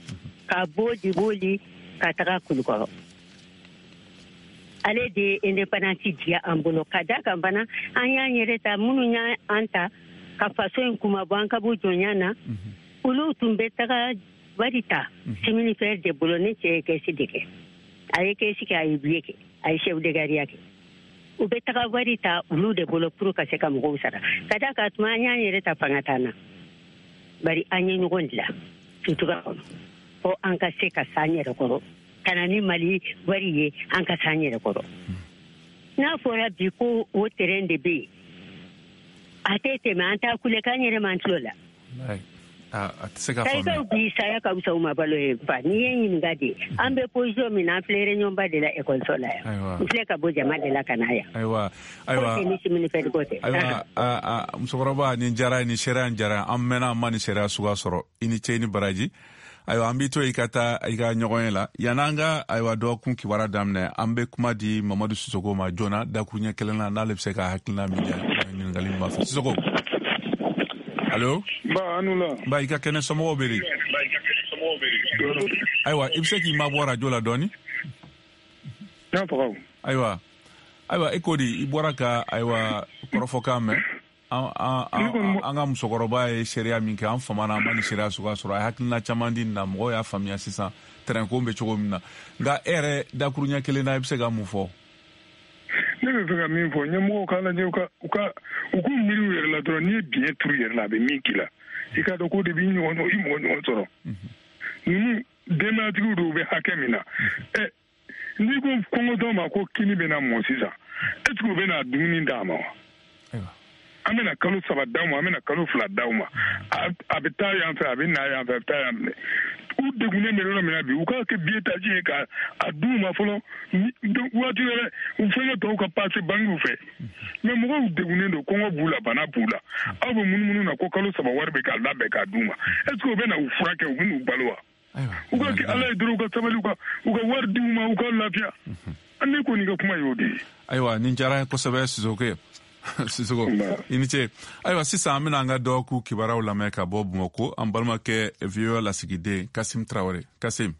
ka bɔ Diboli ka taga Kulukɔrɔ. Ale de ye indépendance diya an bolo, ka da kan fana an y'an yɛrɛ ta, minnu y'an ta ka faso in kumabɔ an ka bɔ jɔnya na, olu tun bɛ taga wari ta chemin fer de bolo. Ne cɛ ye caisse de kɛ, a ye caisse kɛ, a ye billet kɛ, a ye chef de gare kɛ. U bɛ taga wari ta olu de bolo pour ka se ka mɔgɔw sara, ka da kan tuma an y'an yɛrɛ ta, fanga t'an na, bari an ye ɲɔgɔn dilan sutura kɔnɔ fo an ka se ka s'an yɛrɛ kɔrɔ, ka na ni Mali wari ye, an ka s'an yɛrɛ kɔrɔ. N'a fɔra bi ko o terrain de bɛ yen, A tɛ tɛmɛ, an t'a kulekan yɛrɛ man tulo la. A tɛ se ka faamuya. Kayikaw bi saya ka fisa u ma balo ye fa. N'i ye ɲininka de, an bɛ position min na, an filɛ réunion ba de la ekɔliso la yan. N filɛ ka bɔ jama de la ka na yan. Ayiwa, ayiwa. Ko tɛ ni simini fɛn ko tɛ. Ayiwa, musokɔrɔba, nin diyara, nin seereya in diyara. An mɛnna an ma nin seereya suguya sɔrɔ. I ni ce, i ni baraji. Ayiwa, an b'i to i ka taa i ka ɲɔgɔn ye la. Yan'an ka ayiwa dɔgɔkun kibaruya daminɛ, an bɛ kuma di Mamadu Sisoko ma joona dakuruɲɛ kelen na, n'ale bɛ se ka hakilina min di ɲininkali min b'a fɛ. Sisoko. Allo. Ba, an la. Ba, i ka kɛnɛ, somɔgɔw bɛ di? Ayiwa, i bɛ se k'i mabɔ radio la dɔɔni? N'a faga. Ayiwa, ayiwa, i ko di, i bɔra ka ayiwa kɔrɔfɔkan mɛn. An ka musokɔrɔba ye seereya min kɛ, an famana an ma nin seereya suguya sɔrɔ. A ye hakilina caman di nin na, mɔgɔw y'a faamuya sisan tɛrɛnko bɛ cogo min na. Nka e yɛrɛ dakuruɲɛ kelen na, i bɛ se ka mun fɔ? Ne bɛ fɛ ka min fɔ, ɲɛmɔgɔw k'a lajɛ, u k'u miiri u yɛrɛ la dɔrɔn. N'i ye biɲɛ turu i yɛrɛ la, a bɛ min k'i la, i k'a dɔn k'o de b'i ɲɔgɔn i mɔgɔ ɲɔgɔn sɔrɔ. Ninnu denbayatigiw dɔw bɛ hakɛ min na, n'i ko kɔngɔtɔ ma ko kini bɛna mɔ sisan, est ce que u bɛna dumuni d'a ma wa? An bɛna kalo 3 d'aw ma, an bɛna kalo 2 d'aw ma, a bɛ taa yan fɛ, a bɛ na yan fɛ, a bɛ taa yan fɛ. U degunnen bɛ yɔrɔ min na bi, u k'a kɛ billetage ye k'a d'u ma fɔlɔ. Waati wɛrɛ u fɛnkɛ tɔw ka passe bankiw fɛ. Mais mɔgɔw degunnen don, kɔngɔ b'u la, bana b'u la. Aw bɛ munumunu na ko kalo 3 wari bɛ k'a labɛn k'a d'u ma. Est ce que u bɛ na u furakɛ, u bɛ n'u balo wa? U ka kɛ Ala ye dɔrɔn, u ka sabali, u ka wari d'u ma, u ka lafiya. Ne kɔni ka kuma y'o de ye. Ayiwa, nin diyara n ye kosɛbɛ, Sisoko. Sisoko, i ni ce. Ayiwa, sisan an bɛna an ka dɔgɔkun kibaruyaw lamɛn ka bɔ Bamakɔ, an balimakɛ VOA lasigiden Kasim Tarawele. Kasim.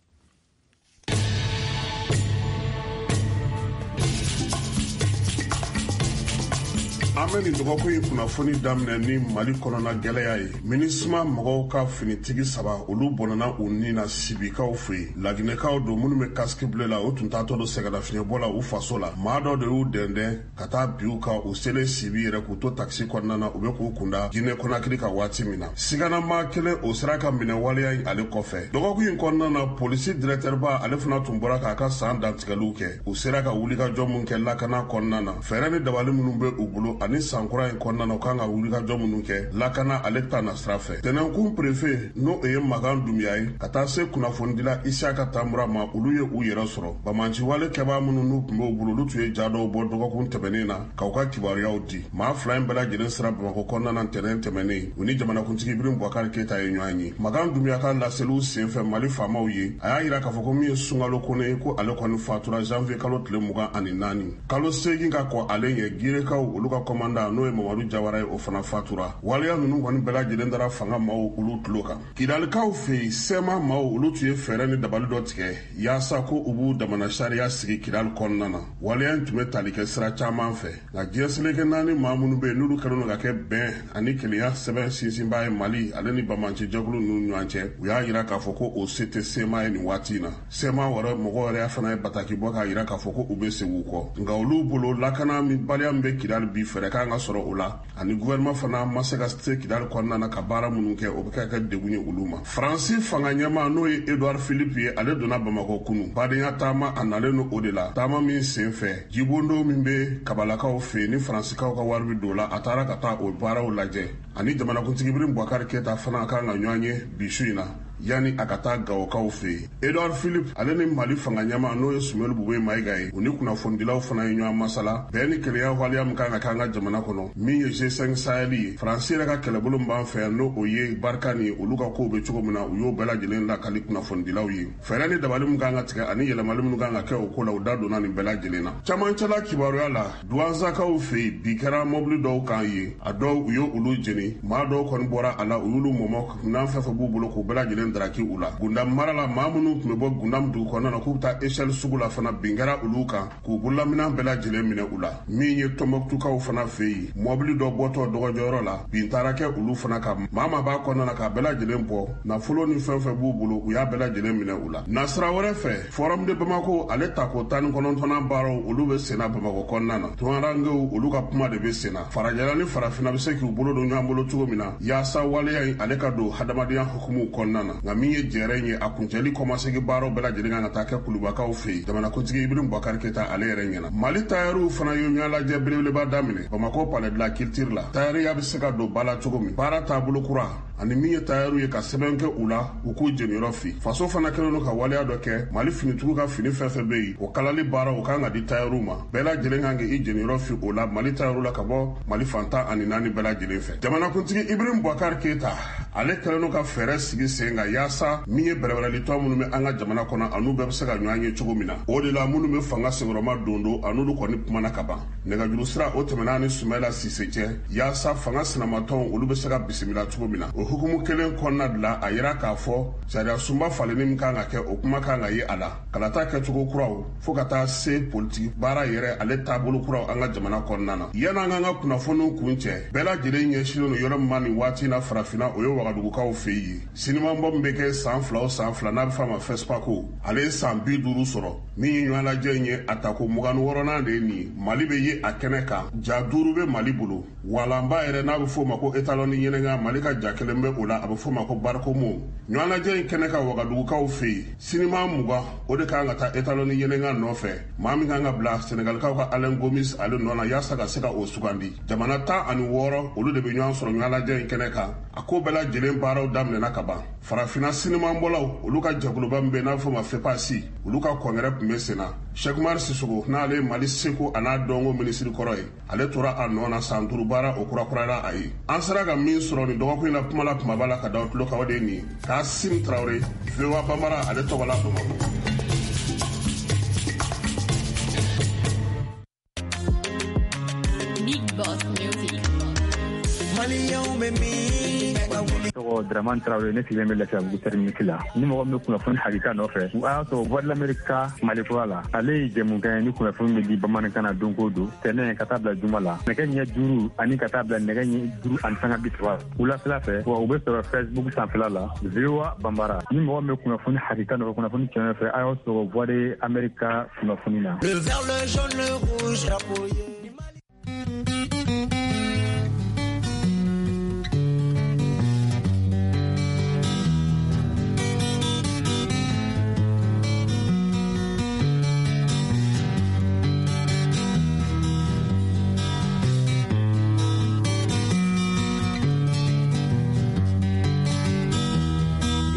An bɛ nin dɔgɔkun in kunnafoni daminɛ ni Mali kɔnɔna gɛlɛya ye. MINUSMA mɔgɔw ka finitigi 3, olu bɔnɛna u ni na Sibikaw fɛ yen. Laginɛkaw don minnu bɛ casque bleu la, u tun taatɔ don sɛgɛnnafiɲɛbɔ la u faso la. Maa dɔ de y'u dɛndɛn ka taa bi u kan, u selen Sibi yɛrɛ k'u to takisi kɔnɔna na, u bɛ k'u kunda Guinée Conakry kan waati min na. Sigana maa kelen o sera ka minɛ waleya in ale kɔfɛ. Dɔgɔkun in kɔnɔna na, polisi directeur ba ale fana tun bɔra k'a ka san dantigɛliw kɛ. U sera ka wulikajɔ min kɛ lakana kɔnɔna na, fɛɛrɛ ni dabali minnu bɛ u bolo ani san kura in kɔnɔna na, u kan ka wulikajɔ minnu kɛ lakana ale ta na sira fɛ. Tɛnɛnkun préfet, n'o ye Makan Dunbiya ye, ka taa se kunnafonidila Isiyaka Tanbura ma, olu ye u yɛrɛ sɔrɔ. Banbaanciwale kɛbaa minnu n'u tun b'u bolo, olu tun ye ja dɔw bɔ dɔgɔkun tɛmɛnen na k'u ka kibaruyaw di. Maa 2 in bɛɛ lajɛlen sera Bamakɔ kɔnɔna na ntɛnɛn tɛmɛnen, u ni jamanakuntigi Ibrahim Boubacar Keita ye ɲɔgɔn ye. Makan Dunbiya ka laseliw senfɛ Mali faamaw ye, a y'a yira k'a fɔ ko min ye Sunkalo Kone ye, ko ale kɔni fatura janvier kalo tile 24. Kalo 8 ka kɔ ale ɲɛ, Girekaw olu ka kɔmandan, n'o ye Mamadu Jawara ye, o fana fatura. Waleya ninnu kɔni bɛɛ lajɛlen dara fanga maaw olu tulo kan. Kidalikaw fɛ yen, CMA maaw olu tun ye fɛɛrɛ ni dabali dɔ tigɛ yaasa ko u b'u damana sariya sigi Kidali kɔnɔna na. Waleya in tun bɛ tali kɛ sira caman fɛ, nka diɲɛ seleke 4 maa minnu bɛ yen n'olu kɛlen don ka kɛ bɛn ani kelenya sɛbɛn sinsinbaa ye Mali ale ni banbaanci jɛkulu ninnu ɲɔgɔn cɛ, u y'a yira k'a fɔ ko o se tɛ CMA ye nin waati in na. CMA wɛrɛ mɔgɔw yɛrɛ fana ye bataki bɔ k'a yira k'a fɔ ko u bɛ segin u kɔ, nka olu bolo lakana min baliya min bɛ Kidali bi, fɛɛrɛ kan ka sɔrɔ o la, ani gouvernement fana ma se ka se Kidali kɔnɔna na ka baara minnu kɛ, o bɛ ka kɛ degun ye olu ma. Faransi fanga ɲɛmaa, n'o ye Edouard Philippe ye, ale donna Bamakɔ kunu badenya taama, a nalen don o de la. Taama min sen fɛ, jibondo min bɛ kabalakaw fɛ yen ni faransikaw ka wari bɛ don o la, a taara ka taa o baaraw lajɛ. Ani jamanakuntigi Ibrahim Boubacar Keita fana kan ka ɲɔgɔn ye bi su in na yanni a ka taa Gawokaw fɛ yen. Edouard Philippe ale ni Mali fanga ɲɛmaa, n'o ye Soumeylou Boubèye Maïga ye, u ni kunnafonidilaw fana ye ɲɔgɔn masala bɛn ni kelenya waleya min kan ka kɛ an ka jamana kɔnɔ, min ye G5 Sahel ye. Faransi yɛrɛ ka kɛlɛbolo min b'an fɛ yan, n'o o ye Barkhane ye, olu ka kow bɛ cogo min na, u y'o bɛɛ lajɛlen lakali kunnafonidilaw ye. Fɛɛrɛ ni dabali min kan ka tigɛ ani yɛlɛmali minnu kan ka kɛ o ko la, u da donna nin bɛɛ lajɛlen na. Camancɛla kibaruya la, Duwanzakaw fɛ yen, bi kɛra mɔbili dɔw kan ye, a dɔw u ye olu jeni, maa dɔw kɔni bɔra a la, u y'olu mɔmɔ, minɛn fɛn fɛn b'u bolo k'u bɛɛ lajɛlen daraki u la. Gundam mara la, maa minnu tun bɛ bɔ Gundam dugu kɔnɔna na k'u bɛ taa Echelle sugu la fana, bin kɛra olu kan k'u bololaminɛn bɛɛ lajɛlen minɛ u la. Min ye Tɔnbɔkutukaw fana fɛ yen, mɔbili dɔ bɔtɔ dɔgɔjɔyɔrɔ la, bin taara kɛ olu fana kan, maa maa b'a kɔnɔna na k'a bɛɛ lajɛlen bɔ, nafolo ni fɛn fɛn b'u bolo, u y'a bɛɛ lajɛlen minɛ u la. Nasira wɛrɛ fɛ, Forum de Bamako ale tako 19nan baaraw olu bɛ senna Bamakɔ kɔnɔna na. Tungarankew olu ka kuma de bɛ senna. Farajɛla ni farafinna bɛ se k'u bolo don ɲɔgɔn bolo cogo min na, yaasa waleya in ale ka don hadamadenya hukumu kɔnɔna na. Nka min ye jɛrɛ ye, a kuncɛli kɔmasegi baaraw bɛɛ lajɛlen kan ka taa kɛ Kulubakaw fɛ yen, jamanakuntigi Ibrahim Boubacar Keita ale yɛrɛ ɲɛna. Mali tayɛriw fana ye ɲɔgɔnlajɛ belebeleba daminɛ Bamakɔ Palais de la Culture la. Tayɛriya bɛ se ka don ba la cogo min, baara taabolo kura ani min ye tayɛriw ye ka sɛbɛn kɛ u la, u k'u jeniyɔrɔ fi. Faso fana kɛlen don ka waleya dɔ kɛ, Mali finitigiw ka fini fɛn fɛn bɛ yen, o kalali baara o kan ka di tayɛriw ma. Bɛɛ lajɛlen kan k'i jeniyɔrɔ fi o la Mali tayɛriw la ka bɔ Mali fan 14 bɛɛ lajɛlen fɛ. Jamanakuntigi Ibrahim Boubacar Keita ale kɛlen don ka fɛɛrɛ sigi sen kan yaasa min ye bɛrɛbɛrɛlitɔn minnu bɛ an ka jamana kɔnɔ, an'u bɛɛ bɛ se ka ɲɔgɔn ye cogo min na. O de la minnu bɛ fanga senkɔrɔma don don, an'olu kɔni kumana ka ban. Nɛgɛjuru sira o tɛmɛna ni Sumayila Sise cɛ yaasa fanga sinamatɔnw olu bɛ se ka bisimila cogo min na. O hukumu kelen kɔnɔna de la, a yira k'a fɔ sariya sunba falenni min kan ka kɛ, o kuma kan ka ye a la. Kalata kɛcogo kuraw fo ka taa se politiki baara yɛrɛ ale taabolo kuraw an ka jamana kɔnɔna na. Yan'an k'an ka kunnafoniw kun cɛ, bɛɛ lajɛlen ɲɛsinnen don yɔrɔ min ma nin waati na farafinna, o ye Wagadugukaw fɛ yen. Sinimanbɔ min bɛ kɛ san 2 o san 2, n'a bɛ f'a ma FESPACO, ale ye san 50 sɔrɔ. Min ye ɲɔgɔnlajɛ in ye, a tako 26nan de ye nin ye. Mali bɛ ye a kɛnɛ kan, ja 5 bɛ Mali bolo. Walanba yɛrɛ n'a bɛ f'o ma ko étalon ni ɲɛnɛga, Mali ka ja kelen bɛ o la, a bɛ f'o ma ko Barikomo. Ɲɔgɔnlajɛ in kɛnɛ kan Wagadugukaw fɛ yen, sinima 20 o de kan ka taa étalon ni ɲɛnɛga nɔfɛ. Maa min kan ka bila Senegalikaw ka Alain Gomis ale nɔ na yaasa ka se ka o sugandi. Jamana 16 olu de bɛ ɲɔgɔn sɔrɔ ɲɔgɔnlajɛ in kɛnɛ kan. A ko bɛɛ lajɛlen baaraw daminɛna ka ban. Farafinna sinimanbɔlaw olu ka jɛkuluba min bɛ n'a bɛ f'o ma FEPASI, olu ka kɔngɛrɛ tun bɛ sen na. Cheikh Umar Sissoco n'ale ye Mali seko a n'a dɔnko minisiri kɔrɔ ye, ale tora a nɔ na san 5 baara o kurakurayara a ye. An sera ka min sɔrɔ nin dɔgɔkun in na kuma la kumaba la ka da tulo kan, o de ye nin ye. Kasim Traoré, VOA Bambara ale tɔgɔ la Bamakɔ. Big Boss Music. Maliyɛnw bɛ min? Tɔgɔ Dramane Traoré, ne sigilen bɛ Lafiyabugu terminus la. Ni mɔgɔ min bɛ kunnafoni hakika nɔfɛ, a y'a sɔrɔ Voix de l'Amérique ka Mali kura la. Ale ye jɛmukan ye ni kunnafoni bɛ di bamanankan na don o don, tɛnɛn ka taa bila juma la, nɛgɛ ɲɛ 5 ani ka taa bila nɛgɛ ɲɛ 5:30 wulafɛla fɛ. Wa u bɛ sɔrɔ Facebook sanfɛla la, VOA Bambara. Ni mɔgɔ min bɛ kunnafoni hakika nɔfɛ, kunnafoni tiɲɛ nɔfɛ, a y'aw sɔrɔ Voix de l'Amérique ka kunnafoni na. Le vert, le jaune, le rouge, drapeau ye.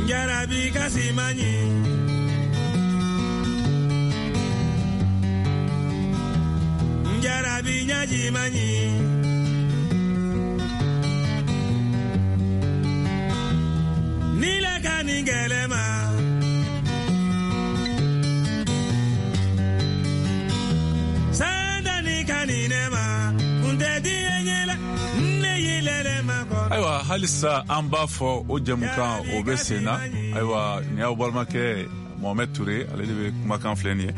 Jarabi kasimanyi Jarabi ɲajimanyi Nile ka nin gɛlɛma Sandani ka nin ne ma Kun tɛ diɲɛ ɲɛ la ne y'i lɛlɛ ma kɔrɔ. Ayiwa, halisa an b'a fɔ o jɛmukan o bɛ sen na. Ayiwa, nin y'aw balimakɛ Mohamed Touré, ale de bɛ kumakan filɛ nin ye.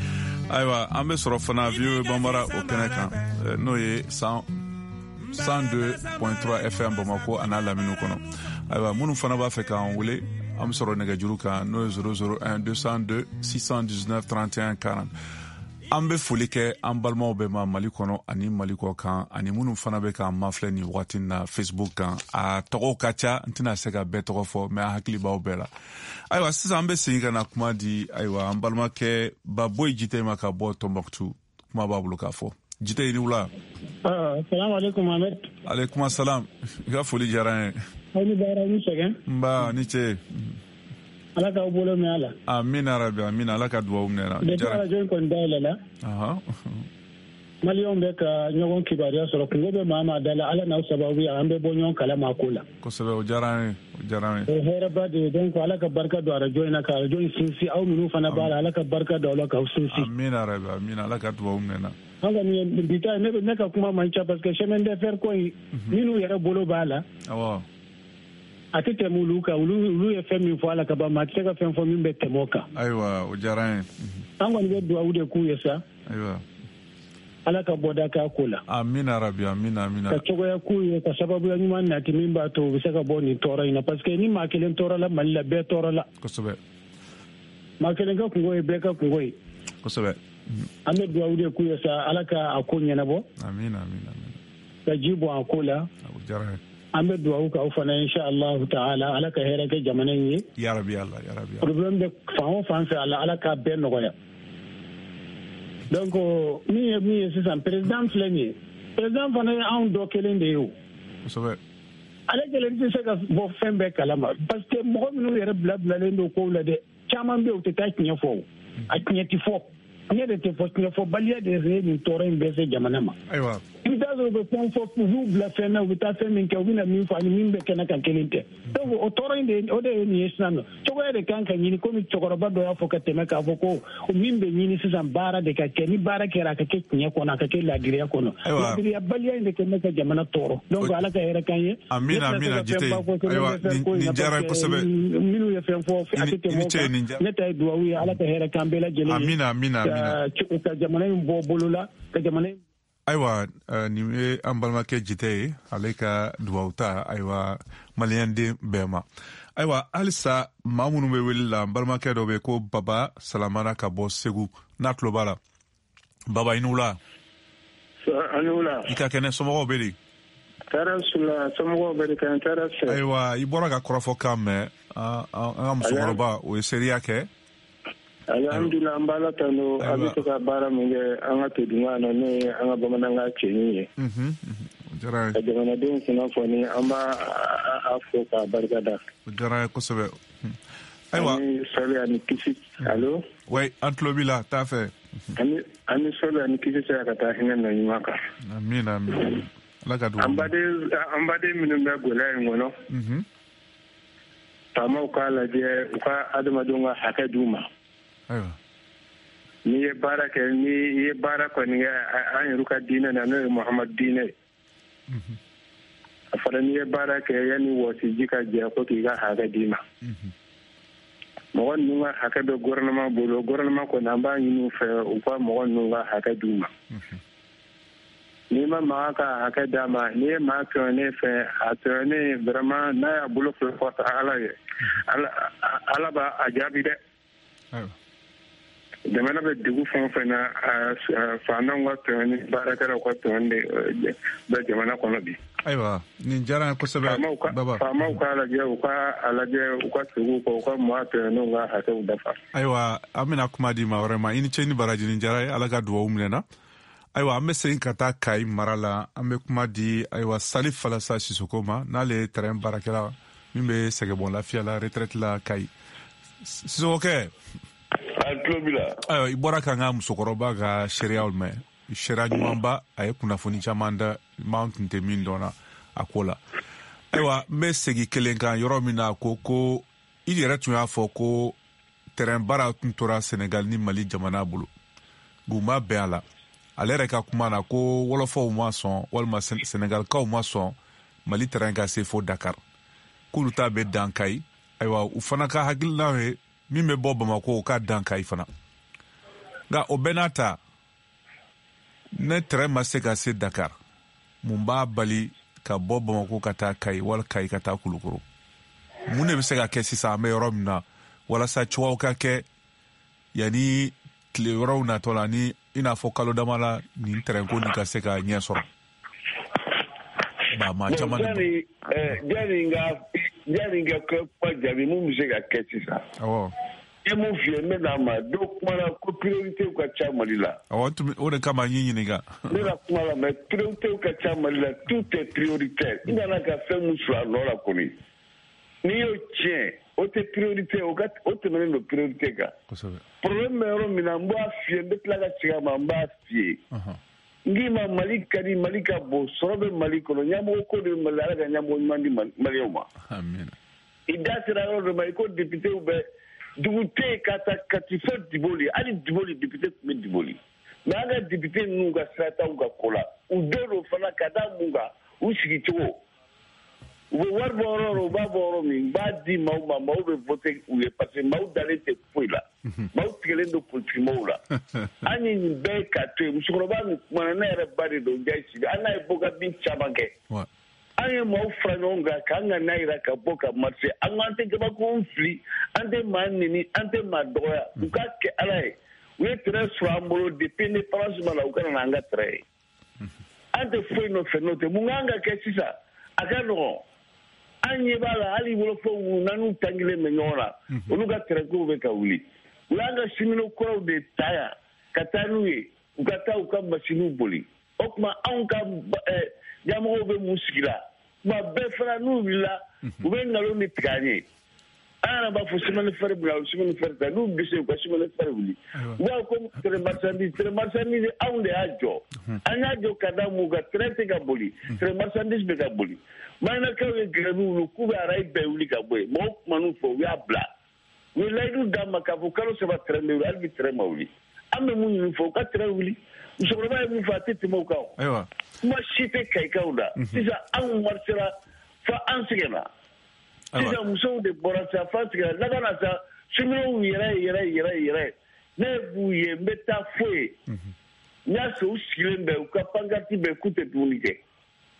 Ayiwa, an bɛ sɔrɔ fana VOA Bambara o kɛnɛ kan, n'o ye 102.3 FM Bamakɔ a n'a laminiw kɔnɔ. Ayiwa, minnu fana b'a fɛ k'an wele, an bɛ sɔrɔ nɛgɛjuru kan, n'o ye 001 202 619 31 40. An bɛ foli kɛ an balimaw bɛɛ ma Mali kɔnɔ ani Mali kɔ kan, ani minnu fana bɛ k'an mafilɛ nin wagati na Facebook kan. A tɔgɔw ka ca, n tɛna se ka bɛɛ tɔgɔ fɔ, mais an hakili b'aw bɛɛ la. Ayiwa, sisan an bɛ segin ka na kuma di ayiwa an balimakɛ Baboyi Jite ma ka bɔ Tombouctou. Kuma b'a bolo k'a fɔ. Jite, i ni wula. Salamu alaikum Mohamed. Alaikum salam. I ka foli diyara n ye. Aw ni baara, ni sɛgɛn. Nba, ni ce. Ala k'aw bolo mɛn a la. Amina rabi, amina, Ala ka duwawu minɛ na. Depuis arajo in kɔni dayɛlɛ la. Maliyɛnw bɛ ka ɲɔgɔn kibaruya sɔrɔ, kungo bɛ maa maa da la, Ala n'aw sababu ye, an bɛ bɔ ɲɔgɔn kalama a ko la. Kosɛbɛ, o diyara an ye, o diyara an ye. O hɛrɛba de ye, donc Ala ka barika don arajo in na, ka arajo in sinsin, aw minnu fana b'a la, Ala ka barika don aw la k'aw sinsin. Amina rabi, amina, Ala ka duwawu minɛ na. An kɔni bi ta, ne ka kuma man ca parce que chemin de fer ko in, minnu yɛrɛ bolo b'a la. Awɔ. A tɛ tɛmɛ olu kan, olu ye fɛn min fɔ a la ka ban, maa tɛ se ka fɛn fɔ min bɛ tɛmɛ o kan. Ayiwa, o diyara an ye. An kɔni bɛ duwawu de k'u ye sa. Ayiwa. Ala ka bɔda k'a ko la. Amina rabi, amina, amina. Ka cogoya k'u ye, ka sababuya ɲuman nati min b'a to u bɛ se ka bɔ nin tɔɔrɔ in na, parce que ni maa kelen tɔɔrɔ la Mali la, bɛɛ tɔɔrɔ la. Kosɛbɛ. Maa kelen ka kungo ye bɛɛ ka kungo ye. Kosɛbɛ. An bɛ duwawu de k'u ye sa, Ala ka a ko ɲɛnabɔ. Amina, amina, amina. Ka ji bɔn a ko la. O diyara an ye. An bɛ dugawu k'aw fana inshallah ta'ala, Ala ka hɛrɛ kɛ jamana in ye. Ya Rabbi Allah, ya Rabbi. Problème bɛ fan o fan fɛ, Ala k'a bɛɛ nɔgɔya. Donc min ye sisan président filɛ nin ye, président fana ye anw dɔ kelen de ye o. Kosɛbɛ. Ale kelen tɛ se ka bɔ fɛn bɛɛ kalama parce que mɔgɔ minnu yɛrɛ bilalen don kow la dɛ, caman bɛ yen u tɛ taa tiɲɛ fɔ o. A tiɲɛ tɛ fɔ. Tiɲɛ de tɛ fɔ, tiɲɛfɔbaliya de ye nin tɔɔrɔ in bɛɛ se jamana ma. Ayiwa. I bɛ taa sɔrɔ u bɛ fɛn fɔ, u b'u bila fɛn na, u bɛ taa fɛn min kɛ, u bɛna min fɔ ani min bɛ kɛnɛ kan kelen tɛ. Donc o tɔɔrɔ in de, o de ye nin ye sisan nɔ. Cogoya de kan ka ɲini, komi cɛkɔrɔba dɔ y'a fɔ ka tɛmɛ k'a fɔ ko min bɛ ɲini sisan baara de ka kɛ, ni baara kɛra a ka kɛ tiɲɛ kɔnɔ, a ka kɛ laadiriya kɔnɔ. Laadiriyabaliya in de kɛ bɛ ka jamana tɔɔrɔ. Donc Ala ka hɛrɛ k'an ye. Amina, amina, Jite. Ayiwa, nin diyara kosɛbɛ. Minnu ye fɛn fɔ, a tɛ tɛmɛ o kan. Ne ta ye dugawu ye, Ala ka hɛrɛ k'an bɛɛ lajɛlen ye. Amina, amina, amina. Ka jamana in bɔ bolo la, ka jamana in. Ayiwa, nin ye an balimakɛ Jite ye, ale ka dugawu ta, ayiwa, maliyɛnden bɛɛ ma. Ayiwa, halisa maa minnu bɛ wele la, n balimakɛ dɔ bɛ ko Baba Salamana ka bɔ Segu, n'a tulo b'a la. Baba, i ni wula. A ni wula. I ka kɛnɛ, somɔgɔw bɛ di? Tɔɔrɔ su la, somɔgɔw bɛ di kan, tɔɔrɔ fɛ. Ayiwa, i bɔra ka kɔrɔfɔ kan mɛn, an ka musokɔrɔba, o ye seereya kɛ. Alhamdulillah, an b'Ala tanu, a bɛ se ka baara min kɛ an ka todunkan na, n'o ye an ka bamanankan cɛɲi ye. Ka jamanadenw kunnafoni, an b'a fo k'a barika da. O diyara n ye kosɛbɛ. Ayiwa. Ani sɔli ani kisi. Allo. Oui, an tulo b'i la, taa fɛ. Ani sɔli ani kisi sera ka taa hinɛ na ɲuman kan. Amiina, amiina. Ala ka dugawu. An baden minnu bɛ gɛlɛya in kɔnɔ. Faamaw k'a lajɛ u ka adamadenw ka hakɛ d'u ma. N'i ye baara kɛ, n'i ye baara kɔni kɛ an yɛrɛ ka diinɛ na, n'o ye Muhamadu diinɛ ye. A fɔra n'i ye baara kɛ yanni wɔsiji ka jɛ ko k'i ka hakɛ d'i ma. Mɔgɔ ninnu ka hakɛ bɛ gouvernement bolo, gouvernement kɔni an b'a ɲini u fɛ u ka mɔgɔ ninnu ka hakɛ d'u ma. N'i ma maa ka hakɛ d'a ma, n'i ye maa tɔɲɔnen fɛ, a tɔɲɔnen vraiment n'a y'a bolo fila kɔrɔta Ala ye, Ala b'a jaabi dɛ. Jamana bɛ dugu fɛn o fɛn na, faantanw ka tɔɲɔni, baarakɛlaw ka tɔɲɔni de bɛ jamana kɔnɔ bi. Ayiwa, nin diyara n ye kosɛbɛ. Faamaw k'a lajɛ, u ka lajɛ, u ka tugu u kɔ, u ka maa tɔɲɔnenw ka hakɛw dafa. Ayiwa, an bɛna kuma di maa wɛrɛ ma. I ni ce ni baraji, nin diyara ye, Ala ka dugawu minɛ na. Ayiwa, an bɛ segin ka taa Kayi mara la, an bɛ kuma di ayiwa Salif Falasa Sisoko ma, n'ale ye terrain baarakɛla min bɛ sɛgɛbɔn lafiya la, retraite la Kayi. Sisoko kɛ. An tulo b'i la. Ayiwa, i bɔra k'an ka musokɔrɔba ka seereyaw mɛn, seereya ɲumanba, a ye kunnafoni caman da m'an tun tɛ min dɔn na a ko la. Ayiwa, n bɛ segin kelen kan yɔrɔ min na, ko i yɛrɛ tun y'a fɔ ko terrain baara tun tora Senegal ni Mali jamana bolo, u ma bɛn a la. Ale yɛrɛ ka kuma na ko wɔlɔfɔw ma sɔn, walima Senegalikaw ma sɔn Mali terrain ka se fo Dakar, k'olu ta bɛ dan Kayi. Ayiwa, u fana ka hakilina ye min bɛ bɔ Bamakɔ, o ka dan Kayi fana. Nka o bɛɛ n'a ta, ne terrain ma se ka se Dakar, mun b'a bali ka bɔ Bamakɔ ka taa Kayi, wali Kayi ka taa Kulukoro? Mun de bɛ se ka kɛ sisan an bɛ yɔrɔ min na, walasa cogoyaw ka kɛ yanni tile wɛrɛw natɔ la, ni i n'a fɔ kalo dama la, nin terrain ko nin ka se ka ɲɛ sɔrɔ? Ba maa caman de. Yanni n ka kuma jaabi, mun bɛ se ka kɛ sisan? Awɔ. I ye mun f'i ye, n bɛ n'a ma. Dɔw kumana ko priorité ka ca Mali la. Awɔ, o de kama n y'i ɲininka. Ne ka kuma la, mais priorité ka ca Mali la, tout est prioritaire. I nana ka fɛn mun sɔrɔ a nɔ la kɔni, n'i y'o tiɲɛ, o tɛ priorité, o tɛmɛnen don priorité kan. Kosɛbɛ. Problème bɛ yɔrɔ min na, n b'a f'i ye, n bɛ tila ka segin a ma, n b'a f'i ye. N k'i ma, Mali ka di, Mali ka bon, sɔrɔ bɛ Mali kɔnɔ, ɲɛmɔgɔ ko de bɛ Mali la, Ala ka ɲɛmɔgɔ ɲuman di Maliyɛnw ma. Amina. I da sera yɔrɔ dɔ ma, i ko députéw bɛ dugu tɛ yen ka taa Kati fo Diboli, hali Diboli député tun bɛ Diboli. Mais an ka député ninnu ka sira t'anw ka ko la, u dɔw don fana ka da mun kan, u sigicogo. U bɛ wari bɔ yɔrɔ o yɔrɔ, u b'a bɔ yɔrɔ min, u b'a di maaw ma, maaw bɛ voter u ye parce que maaw dalen tɛ foyi la. Maaw tigɛlen don politikimɔgɔw la. An ye nin bɛɛ k'a to yen, musokɔrɔba min kumana, ne yɛrɛ ba de don, Njayi Sibi, an n'a ye bɔ ka bin caman kɛ. An ye maaw fara ɲɔgɔn kan k'an ka n'a jira ka bɔ ka marcher. An ko an tɛ gabakurun fili, an tɛ maa neni, an tɛ maa dɔgɔya. U k'a kɛ Ala ye. U ye terrain sɔrɔ an bolo depuis indépendance ma na, u kana na an ka terrain ye. An tɛ foyi nɔfɛ n'o tɛ. Mun kan ka kɛ sisan? A ka nɔgɔn. An ɲɛ b'a la hali wolofɔw n'an tangilen bɛ ɲɔgɔn na, olu ka tɛrɛkow bɛ ka wuli. U y'an ka cheminot kɔrɔw de ta yan ka taa n'u ye, u ka taa u ka masiniw boli. O tuma anw ka ɲɛmɔgɔw bɛ mun sigi la? Tuma bɛɛ fana n'u wulila, u bɛ nkalon de tigɛ an ye. An yɛrɛ b'a fɔ chemin de fer bila, chemin de fer ta, n'u bɛ se u ka chemin de fer wuli. U b'a fɔ ko train marchandise anw de y'a jɔ. An y'a jɔ ka da mun kan? Train tɛ ka boli, train marchandise bɛ ka boli. Maninakaw ye grève wuli k'u bɛ arayi bɛɛ wuli ka bɔ yen. Mɔgɔw kuman'u fɛ, u y'a bila. U ye layidu d'an ma k'a fɔ kalo 3 train bɛ wuli, hali bi train ma wuli. An bɛ mun ɲini fɔ u ka train wuli. Musokɔrɔba ye mun fɔ a tɛ tɛmɛ o kan o. Ayiwa. Kuma si tɛ Kayikaw da. Sisan anw marisera fo an sɛgɛnna. Sisan musow de bɔra sa fo an sɛgɛnna. Laban na sa cheminots yɛrɛ yɛrɛ yɛrɛ yɛrɛ ne b'u ye, n bɛ taa fo yen. N y'a sɔrɔ u sigilen bɛ, u ka pancarte bɛ, k'u tɛ dumuni kɛ.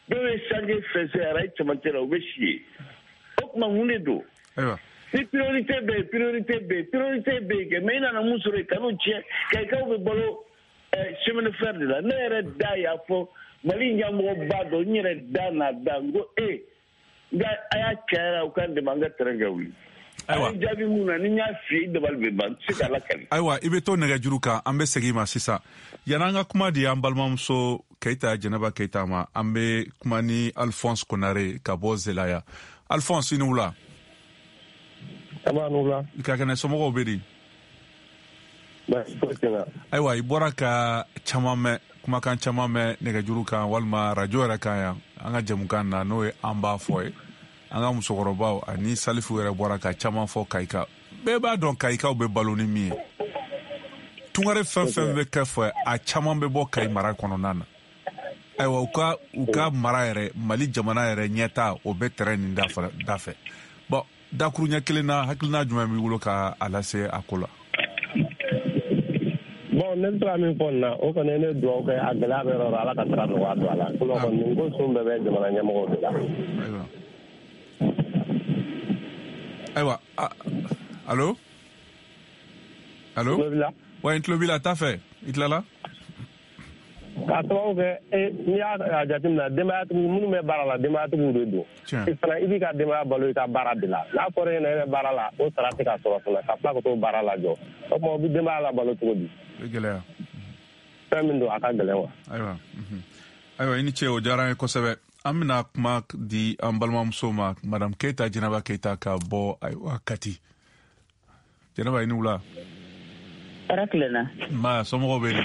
Dɔw ye sange fɛnsɛ arayi cɛmancɛ la, u bɛ si yen. O tuma mun de don? Ayiwa. Ni priorité bɛ yen, priorité bɛ yen, priorité bɛ yen kɛ, mais i nana mun sɔrɔ yen, kan'o tiɲɛ. Kayikaw bɛ balo chemin de fer de la. Ne yɛrɛ da y'a fɔ Mali ɲɛmɔgɔba dɔ, n yɛrɛ da n'a da, n ko nka a y'a cayara u k'an dɛmɛ an ka terrain ka wuli. Ayiwa. A ye jaabi mun na, ni n y'a f'i ye, i dabali bɛ ban, n tɛ se k'a lakali. Ayiwa, i bɛ to nɛgɛjuru kan, an bɛ segin i ma sisan. Yan'an ka kuma di an balimamuso Keyita Jɛnɛba Keyita ma, an bɛ kuma ni Alphonse Konare ka bɔ Zelaya. Alphonse, i ni wula. Aba, ni wula. I ka kɛnɛ, somɔgɔw bɛ di? Baasi foyi tɛ n na. Ayiwa, i bɔra ka caman mɛn, kumakan caman mɛn nɛgɛjuru kan walima radio yɛrɛ kan yan, an ka jɛmukan na, n'o ye an b'a fɔ ye. An ka musokɔrɔbaw ani Salifu yɛrɛ bɔra ka caman fɔ Kayika. Bɛɛ b'a dɔn Kayikaw bɛ balo ni min ye. Tungare fɛn fɛn bɛ kɛ fɛ, a caman bɛ bɔ Kayi mara kɔnɔna na. Ayiwa, u ka mara yɛrɛ, Mali jamana yɛrɛ ɲɛta, o bɛ terrain nin da fɛ. Bon, dakuruɲɛ kelen na, hakilina jumɛn b'i bolo ka a lase a ko la? Bon, ne bɛ se ka min fɔ nin na, o kɔni ye ne dugawu kɛ, a gɛlɛya bɛ yɔrɔ o yɔrɔ, Ala ka sira nɔgɔya don a la. Sinon kɔni nin ko sun bɛɛ bɛ jamana ɲɛmɔgɔw de la. Ayiwa, allo? Allo? Tulo b'i la? Wa, n tulo b'i la, t'a fɛ, i tilala? K'a sababu kɛ, n'i y'a jateminɛ, denbayatigiw minnu bɛ baara la, denbayatigiw de don. I fana, i b'i ka denbaya balo i ka baara de la. N'a fɔra e ɲɛna e bɛ baara la, o sara tɛ ka sɔrɔ fana, ka tila ka t'o baara lajɔ. O tuma, o bɛ denbaya labalo cogo di? O bɛ gɛlɛya. Fɛn min don, a ka gɛlɛn wa. Ayiwa, Ayiwa, i ni ce, o diyara an ye kosɛbɛ. An bɛna kuma di an balimamuso ma, Madame Keyita Jɛnɛba Keyita ka bɔ ayiwa Kati. Jɛnɛba, i ni wula. Hɛrɛ tilenna. Nba, somɔgɔw bɛ di?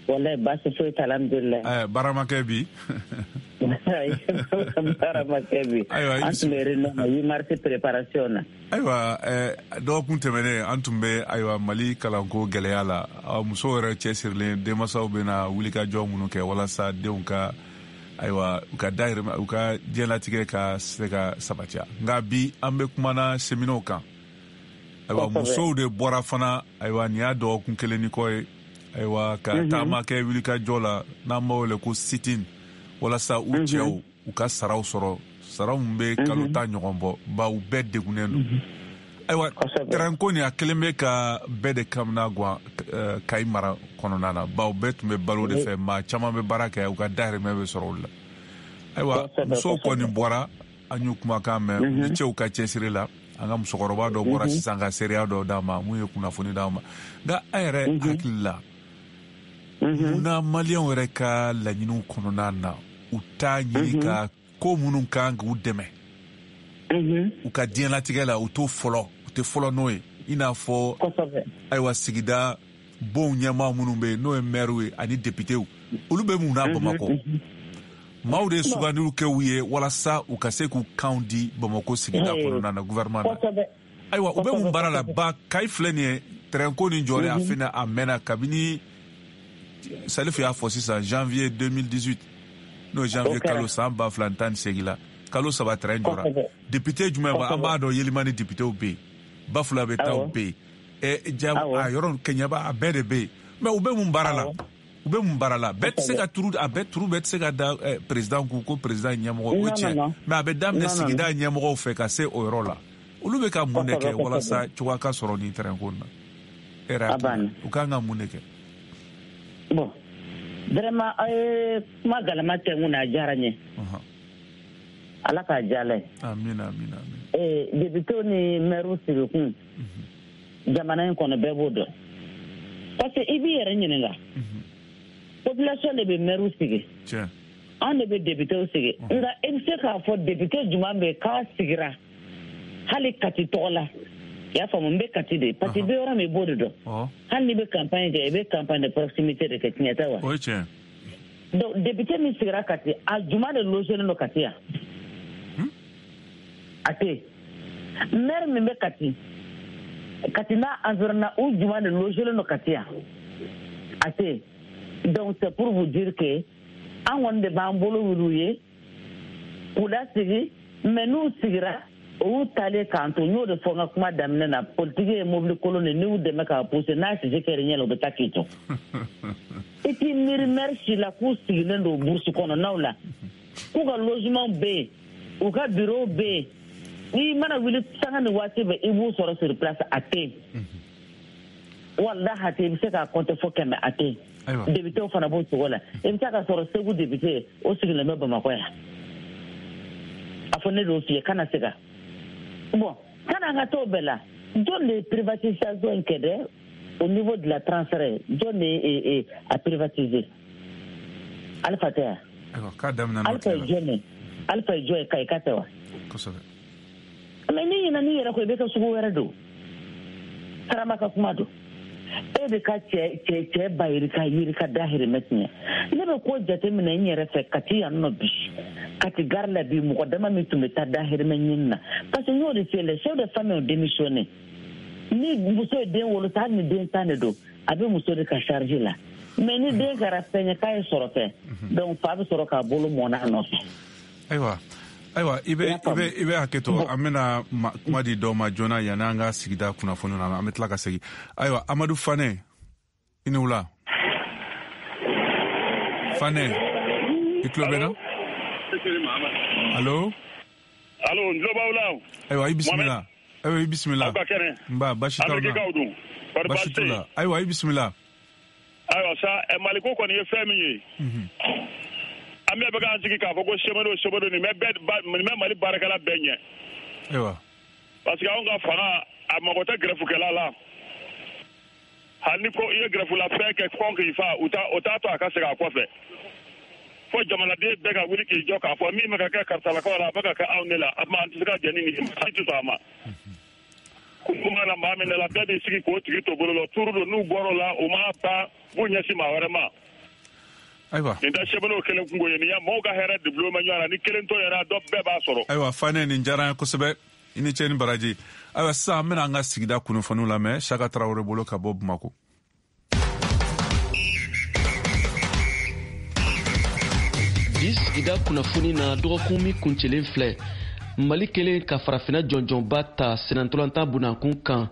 Wallahi baasi foyi t'a la, alhamdulilayi. Baara ma kɛ bi? Baara ma kɛ bi. Ayiwa, an tun bɛ réunion na 8 mars préparation na. Ayiwa, dɔgɔkun tɛmɛnen an tun bɛ ayiwa Mali kalanko gɛlɛya la. Musow yɛrɛ cɛsirilen, denmansaw bɛna wulikajɔ minnu kɛ walasa denw ka ayiwa u ka dahirimɛ, u ka diɲɛlatigɛ ka se ka sabatiya. Nka bi an bɛ kumana cheminots kan. Ayiwa, musow de bɔra fana, ayiwa nin y'a dɔgɔkun kelen ni kɔ ye, ayiwa ka taama kɛ wulikajɔ la, n'an b'a wele ko sit-in, walasa u cɛw u ka saraw sɔrɔ, saraw min bɛ kalo 10 ɲɔgɔn bɔ, bawo u bɛɛ degunnen don. Ayiwa, terrain ko nin a kelen bɛ ka bɛɛ de kamana gan Kayi mara kɔnɔna na, bawo bɛɛ tun bɛ balo de fɛ, maa caman bɛ baara kɛ, u ka dahirimɛ bɛ sɔrɔ o la. Ayiwa, musow kɔni bɔra, an y'u kumakan mɛn, u ni cɛw ka cɛsiri la. An ka musokɔrɔba dɔ bɔra sisan ka seereya dɔ d'an ma, mun ye kunnafoni d'an ma. Nka an yɛrɛ hakili la, munna maliyɛnw yɛrɛ ka laɲiniw kɔnɔna na, u t'a ɲini ka ko minnu kan k'u dɛmɛ u ka diɲɛlatigɛ la, u t'o fɔlɔ, u tɛ fɔlɔ n'o ye. I n'a fɔ ayiwa sigida bonw ɲɛmaa minnu bɛ yen, n'o ye maires ye ani députés, olu bɛ mun na Bamakɔ? Maaw de ye sugandiliw kɛ u ye walasa u ka se k'u kanw di Bamakɔ sigida kɔnɔna na, gouvernement na. Ayiwa, u bɛ mun baara la? Ba Kayi filɛ nin ye, terrain ko nin jɔlen a fɛnɛ a mɛnna kabini Salifu y'a fɔ sisan janvier 2018, n'o ye janvier kalo san 2018 la, kalo 3 terrain jɔra. Député jumɛn b'a, an b'a dɔn Yelimani députéw bɛ yen, Bafulabe taw bɛ yen, ja a yɔrɔ Kɛɲɛba a bɛɛ de bɛ yen. Mais u bɛ mun baara la? U bɛ mun baara la? Bɛɛ tɛ se ka turu, a bɛɛ turu bɛɛ tɛ se ka da président kun ko président ɲɛmɔgɔ, o tiɲɛ. Mais a bɛ daminɛ sigida ɲɛmɔgɔw fɛ ka se o yɔrɔ la. Olu bɛ ka mun de kɛ walasa cogoya ka sɔrɔ nin terrain ko in na? E yɛrɛ hakili la, u kan ka mun de kɛ? Bon, vraiment aw ye kuma galama tɛ n kun na, a diyara n ye. Ala k'a diya ye. Amina, amina, amina. Député ni maire sigikun jamana in kɔnɔ, bɛɛ b'o dɔn, parce que i b'i yɛrɛ ɲininka, population de bɛ maire sigi, anw de bɛ député sigi. Nka i bɛ se k'a fɔ député jumɛn bɛ yen k'a sigira hali Kati tɔgɔ la? I y'a faamu, n bɛ Kati de, parce que i bɛ yɔrɔ min, i b'o de dɔn. Hali n'i bɛ campagne kɛ, i bɛ campagne de proximité de kɛ, tiɲɛ tɛ wa? O ye tiɲɛ. Donc député min sigira Kati, a jumɛn de logelen don Kati yan? A tɛ yen. Maire min bɛ Kati, Kati n'a environnement, u jumɛn de logelen don Kati yan? A tɛ yen. Donc c'est pour vous dire que an kɔni de b'an bolo wuli u ye k'u lasigi, mais n'u sigira, o y'u taalen k'an to. N y'o de fɔ n ka kuma daminɛ na, politiki ye mobili kolon de, n'i y'u dɛmɛ k'a pousser, n'a sisi kɛra ɲɛ la, u bɛ taa k'i to. I t'i miiri maire si la k'u sigilen don brousse kɔnɔnaw la, k'u ka logement bɛ yen, u ka bureau bɛ yen, n'i mana wuli sanga ni waati bɛɛ i b'u sɔrɔ sur place, a tɛ yen. Walahi, a tɛ yen. I bɛ se k'a compter fo 100, a tɛ yen. Député fana b'o cogo la. I bɛ taa ka sɔrɔ Segu député, o sigilen bɛ Bamakɔ yan. A fɔ ne d'o f'i ye, kana se ka bon kana an ka t'o bɛɛ la. Jɔn de ye privatisation in kɛ dɛ au niveau de la transfert? Jɔn de ye a privatiser? Alpha tɛ yan? K'a daminɛ n'o. Alpha ye jɔn ye? Alpha ye jɔn ye? Kayi ka tɛ wa? Kosɛbɛ. Mais n'i ɲinɛ n'i yɛrɛ kɔ, i bɛ kɛ sugu wɛrɛ don. Karama ka kuma don. E bɛ ka cɛ cɛ cɛ ba yirika yirika dahirimɛ tiɲɛ. Ne bɛ ko jateminɛ n yɛrɛ fɛ Kati yan nɔ bi, Kati gare la bi, mɔgɔ dama min tun bɛ taa dahirimɛ ɲini na, parce que n y'o de f'i ye, les chefs de famille ont démissionné. Ni muso ye den wolo sa, hali ni den 10 de don, a bɛ muso de ka charge la. Mais ni den kɛra fɛn ye k'a ye sɔrɔ fɛn, donc fa bɛ sɔrɔ k'a bolo mɔn a nɔfɛ. Ayiwa, i bɛ hakɛ to, an bɛna kuma di dɔw ma joona yanni an ka sigida kunnafoniw na, an bɛ tila ka segin. Ayiwa, Amadu Fanɛ, i ni wula. Fanɛ, i tulo bɛ n na? Allo? Allo, n tulo b'aw la. Ayiwa, i bisimila. Ayiwa, i bisimila. Aw ka kɛnɛ? Nba, baasi t'aw na. Amérique dun? Kɔri? Baasi t'u la. Ayiwa, i bisimila. Ayiwa sa, Maliko kɔni ye fɛn min ye, an bɛɛ bɛ k'an sigi k'a fɔ ko cheminots, cheminots, nin bɛ bɛɛ nin bɛ Mali baarakɛla bɛɛ ɲɛ. Parce que anw ka fanga, a mago tɛ grèvekɛla la. Hali ni ko i ye grève la fɛn kɛ kɔn k'i fa, u t'a o t'a to a ka segin a kɔfɛ. Fo jamanaden bɛɛ ka wuli k'i jɔ k'a fɔ min bɛ ka kɛ karisalakaw la, a bɛ ka kɛ anw de la, a tuma an tɛ se ka jɛn ni nin ye, an tɛ sɔn a ma. Kuma na maa min da la, bɛɛ b'i sigi k'o tigi to bolo la turu don. N'u bɔr'o la, u m'a ban, b'u ɲɛsin maa wɛrɛ ma. Nin tɛ cheminots kelen kungo ye, nin ya maaw ka hɛrɛ de bulon bɛ ɲɔgɔn na. Ni kelen to yɛrɛ, dɔ bɛɛ b'a sɔrɔ. Ayiwa Fanɛ, nin diyara an ye kosɛbɛ. I ni ce ni baraji. Ayiwa, sisan an bɛna an ka sigida kunnafoniw lamɛn Saka Tarawele bolo ka bɔ Bamako. Bi sigida kunnafoni na, dɔgɔkun min kuncɛlen filɛ, Mali kelen ka farafina jɔnjɔnba ta senantolantan bunakun kan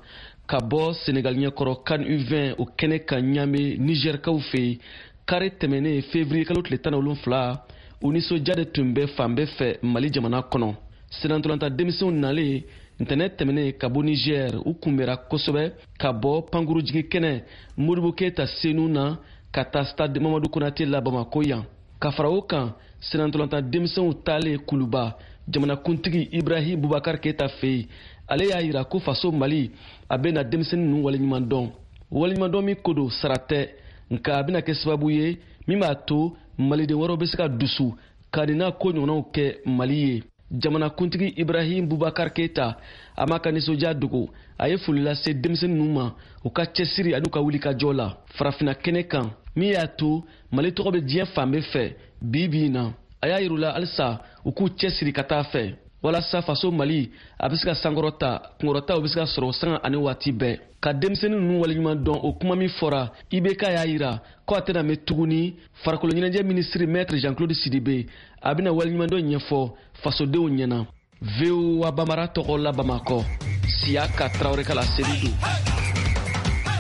ka bɔ Senegal ɲɛkɔrɔ CAN U20 o kɛnɛ kan Ɲame, Nizɛrikaw fɛ yen, kari tɛmɛnen février kalo tile 17, o nisɔndiya de tun bɛ fan bɛɛ fɛ Mali jamana kɔnɔ. Senantolantan denmisɛnw nalen ntɛnɛ tɛmɛnen ka bɔ Niger, u kunbɛra kosɛbɛ ka bɔ pankurujigi kɛnɛ Modibo Keyita Senu na ka taa stade Mamadu Konate la Bamako yan. Ka fara o kan, senantolantan denmisɛnw taalen Kuluba, jamanakuntigi Ibrahim Bubakar Keyita fɛ yen, ale y'a yira ko faso Mali a bɛna denmisɛnnin ninnu waleɲuman dɔn. Waleɲumandɔn min ko don, sara tɛ, nka a bɛna kɛ sababu ye min b'a to maliden wɛrɛw bɛ se ka dusu ka nin n'a ko ɲɔgɔnnaw kɛ Mali ye. Jamanakuntigi Ibrahim Bubakar Keyita a m'a ka nisɔndiya dogo. A ye foli lase denmisɛnnin ninnu ma u ka cɛsiri ani u ka wulikajɔ la farafina kɛnɛ kan, min y'a to Mali tɔgɔ bɛ diɲɛ fan bɛɛ fɛ bi bi in na. A y'a yir'u la halisa u k'u cɛsiri ka taa fɛ walasa faso Mali a bɛ se ka sankɔrɔta, kunkɔrɔta o bɛ se ka sɔrɔ sanga ani waati bɛɛ. Ka denmisɛnnin ninnu waleɲuman dɔn, o kuma min fɔra, IBK y'a yira ko a tɛna mɛn tuguni, farikolo ɲɛnajɛ minisiri maître Jean Claude Sidibe a bɛna waleɲumandɔn ɲɛfɔ fasodenw ɲɛna. VOA Bamara tɔgɔ la Bamakɔ, Siyaka Tarawele ka laseli don.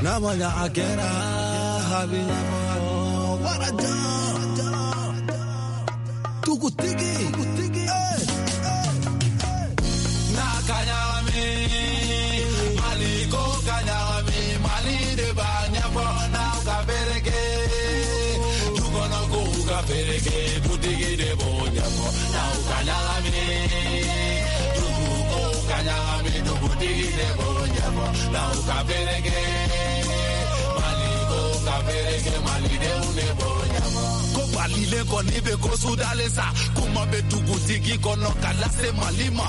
N'a ma ɲa a kɛra a bɛ ɲɛbɔ warajan dugutigi n'a ka ɲagami, Mali ko ka ɲagami, Mali de b'a ɲɛfɔ n'aw ka bereke du kɔnɔ ko. ka fereke dutigi de b'o ɲɛfɔ n'aw ka ɲagami duguko ka ɲagami dugutigi de b'o ɲɛfɔ n'aw ka fereke maliko ka fereke malidenw de b'o ɲɛfɔ. Ko balilen kɔni bɛ ko sudalen sa kuma bɛ dugutigi kɔnɔ ka lase Mali ma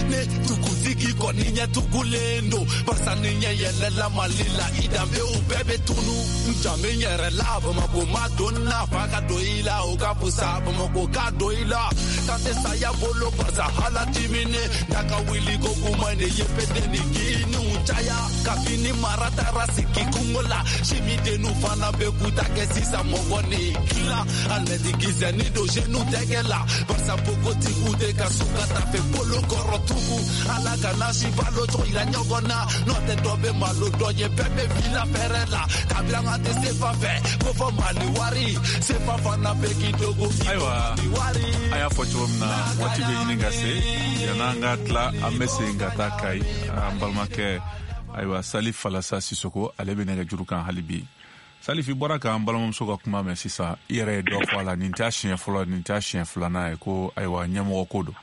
ne dugutigi kɔni ɲɛ tugulen don barisa ni ɲɛ yɛlɛla Mali la i danbew bɛɛ bɛ tunu n danbe n yɛrɛ la Bamakɔ ma don na fa ka don i la o ka fusa Bamakɔ ka don i la kan tɛ saya bolo barisa hala dimine n'a ka wuli ko kuma de ye pete ni kiniw caya kabini mara taara sigi kungo la simidenw fana bɛ k'u ta kɛ sisan mɔgɔ ni dilan alimɛti kisɛ ni don jenu tɛgɛ la barisa npogotigiw tɛ ka so ka tafe bolo kɔrɔ tugun ala kana si balo tɔ yira ɲɔgɔn na n'o tɛ dɔ bɛ malo dɔ ye bɛɛ bɛ vila fɛrɛ la kabila an tɛ sefa fɛ ko fɔ Mali wari sefa fana bɛ k'i dogo ayiwa wari. An y'a fɔ cogo min na waati bɛ ɲini ka se yann'an ka tila an bɛ segin ka taa Kayi an balimakɛ ayiwa Salif Falasa Sisoko ale bɛ nɛgɛjuru kan hali bi. Salif, i bɔra k'an balimamuso ka kuma mɛn sisan, i yɛrɛ ye dɔ fɔ a la, nin t'a siɲɛ fɔlɔ, nin t'a siɲɛ filanan ye ko ayiwa ɲɛmɔgɔ ko don.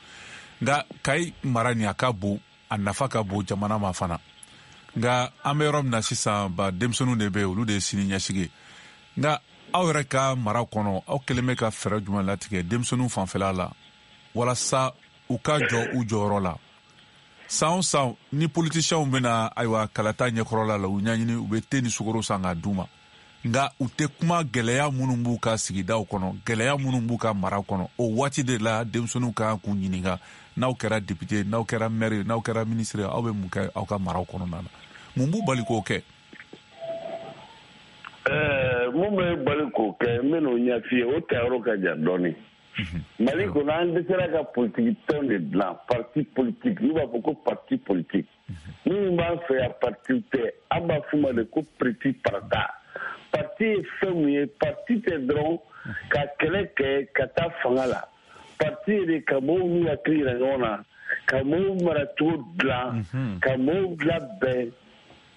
Nka Kayi mara nin a ka bon, a nafa ka bon jamana ma fana. Nka an bɛ yɔrɔ min na sisan, ba denmisɛnninw de bɛ yen, olu de ye sini ɲɛsigi ye. Nka aw yɛrɛ ka mara kɔnɔ, aw kɛlen bɛ ka fɛɛrɛ jumɛn latigɛ denmisɛnninw fanfɛla la walasa u ka jɔ u jɔyɔrɔ la? San o san ni politiciens bɛna ayiwa kalata ɲɛkɔrɔla la, u ɲɛɲini u bɛ te ni sukaro san k'a d'u ma. Nka u tɛ kuma gɛlɛya minnu b'u ka sigidaw kɔnɔ, gɛlɛya minnu b'u ka mara kɔnɔ. O waati de la denmisɛnninw ka kan k'u ɲininka, n'aw kɛra député, n'aw kɛra maire, n'aw kɛra ministre, aw bɛ mun kɛ aw ka maraw kɔnɔna na? Mun b'u bali k'o kɛ? Mun bɛ bali k'o kɛ, n bɛn'o ɲɛf'i ye, o tayɔrɔ ka jan dɔɔnin. Mali kɔnɔ an dɛsɛra ka politiki tɔn de dilan, parti politique, n'u b'a fɔ ko parti politique. Minnu b'an fɛ yan parti tɛ, an b'a f'u ma de ko parti parata. Parti ye fɛn mun ye, parti tɛ dɔrɔn ka kɛlɛ kɛ ka taa fanga la. Parti ye de ka mɔgɔw n'u hakili yira ɲɔgɔn na, ka mɔgɔw maracogo dilan, ka mɔgɔw labɛn.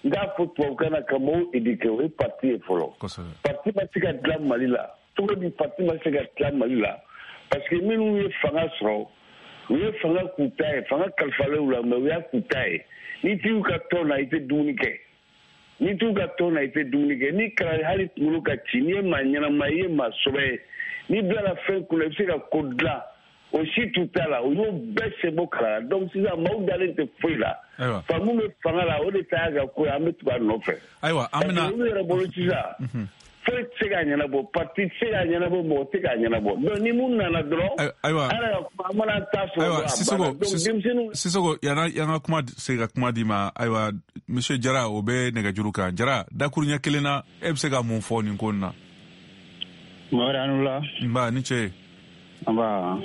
N k'a fɔ tubabukan na ka mɔgɔw éduquer, o ye parti ye fɔlɔ. Parti ma se ka dilan Mali la. Cogo di parti ma se ka dilan Mali la? Parce que minnu ye fanga sɔrɔ, u ye fanga k'u ta ye, fanga kalifalen u la, mais u y'a k'u ta ye. N'i t'i ka tɔn na, i tɛ dumuni kɛ. N'i t'u ka tɔn na, i tɛ dumuni kɛ. N'i kalan hali kunkolo ka ci, n'i ye maa ɲɛnama ye, i ye maa sɔbɛ ye, n'i bilala fɛn kunna, i bɛ se ka ko dilan. O si t'u ta la, u y'o bɛɛ sen bɔ kala la. Donc sisan maaw dalen tɛ foyi la. Fa mun bɛ fanga la, o de ta y'a ka ko ye, an bɛ tugu a nɔfɛ. Ayiwa, an bɛna. Olu yɛrɛ bolo sisan. Foyi tɛ se k'a ɲɛnabɔ, parti tɛ se k'a ɲɛnabɔ, mɔgɔ tɛ k'a ɲɛnabɔ. Donc ni mun nana dɔrɔn, ayiwa, an yɛrɛ ka kuma, an mana taa sɔrɔ ayiwa, dɔrɔn a banna. Donc denmisɛnninw. Sisoko, yan'an ka kuma se ka kuma d'i ma, ayiwa, monsieur Jara, o bɛ nɛgɛjuru kan. Jara, dakuruɲɛ kelen na, e bɛ se ka mun fɔ nin ko in na? Mamadu, a ni wula. Nba, ni ce. Nba.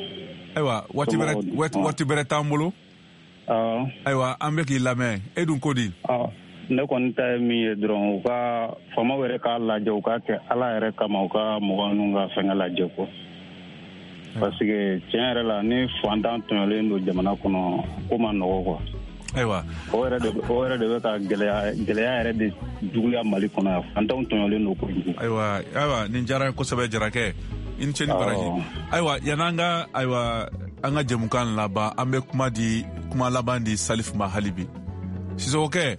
Ayiwa, waati bɛrɛ t'an bolo. Ayiwa, an bɛ k'i lamɛn. E dun ko di? Ne kɔni ta ye min ye dɔrɔn, u ka faamaw yɛrɛ k'a lajɛ, u k'a kɛ Ala yɛrɛ kama, u ka mɔgɔ ninnu ka fɛngɛ lajɛ quoi. Parce que tiɲɛ yɛrɛ la, ni fantan tɔɲɔlen don jamana kɔnɔ, ko ma nɔgɔ quoi. Ayiwa. O yɛrɛ de bɛ ka gɛlɛya yɛrɛ de juguya Mali kɔnɔ yan. Fantanw tɔɲɔlen don kojugu. Ayiwa, nin diyara n ye kosɛbɛ Jarakɛ. I ni ce ni baraji. Ayiwa, yan'an ka ayiwa an ka jɛmukan laban, an bɛ kuma laban di Salif ma hali bi. Sisokokɛ,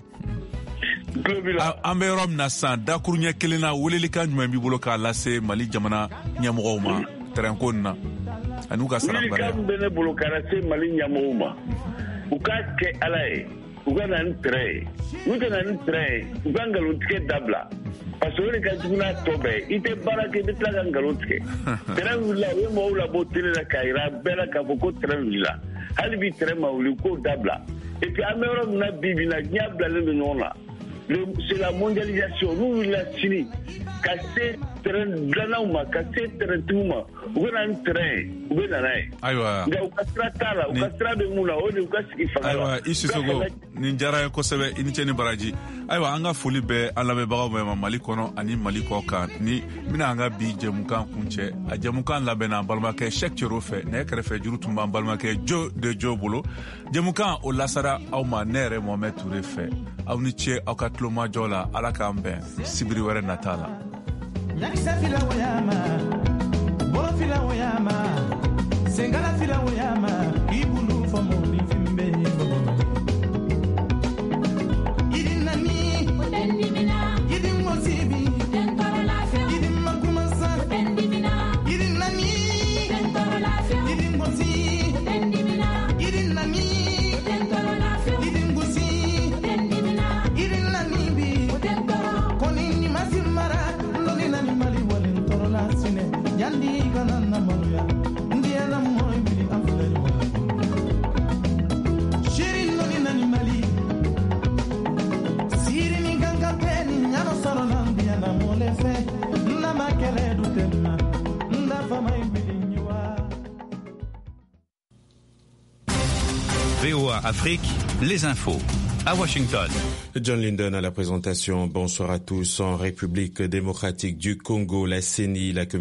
an bɛ yɔrɔ min na sisan, dakuruɲɛ kelen na, welelikan jumɛn b'i bolo k'a lase Mali jamana ɲɛmɔgɔw ma tɛrɛnko nin na ani u ka sara baara? Welelikan bɛ ne bolo k'a lase Mali ɲɛmɔgɔw ma, u k'a kɛ Ala ye, u ka na ni tɛrɛn ye. N'u tɛ na ni tɛrɛn ye, u ka nkalontigɛ dabila. Parce que o de ka jugu n'a tɔ bɛɛ ye. I tɛ baara kɛ, i bɛ tila ka nkalon tigɛ. Tɛrɛn wulila, u ye mɔgɔw labɔ télé la k'a jira bɛɛ la k'a fɔ ko tɛrɛn wulila. Hali bi tɛrɛn ma wuli, k'o dabila. Et puis an bɛ yɔrɔ min na bi bi in na, diɲɛ bilalen don ɲɔgɔn na. C'est la mondialisation. N'u wulila sini ka se tɛrɛn dilannaw ma, ka se tɛrɛntigiw ma, u bɛ na ni tɛrɛn ye, u bɛ na n'a ye. Ayiwa. Nka u ka sira t'a la, u ka sira bɛ mun na, o de u ka sigi fanga la. Ayiwa, i Sisoko, nin diyara n ye kosɛbɛ, i ni ce ni baraji. Ayiwa, an ka foli bɛ an lamɛnbagaw bɛɛ ma Mali kɔnɔ ani Mali kɔ kan. Ni bɛna an ka bi jɛmukan kuncɛ, a jɛmukan labɛnna an balimakɛ Cheikh Cero fɛ, nɛgɛ kɛrɛfɛ juru tun b'an balimakɛ Jo de Jo bolo. Jɛmukan o lasara aw ma ne yɛrɛ Mohamed Touré fɛ. Aw ni ce aw ka tulomajɔ la, Ala k'an bɛn sibiri wɛrɛ nata la. VOA Afrique, les infos. À Washington. John Lyndon à la présentation. Bonsoir à tous. En République démocratique du Congo, la CENI, la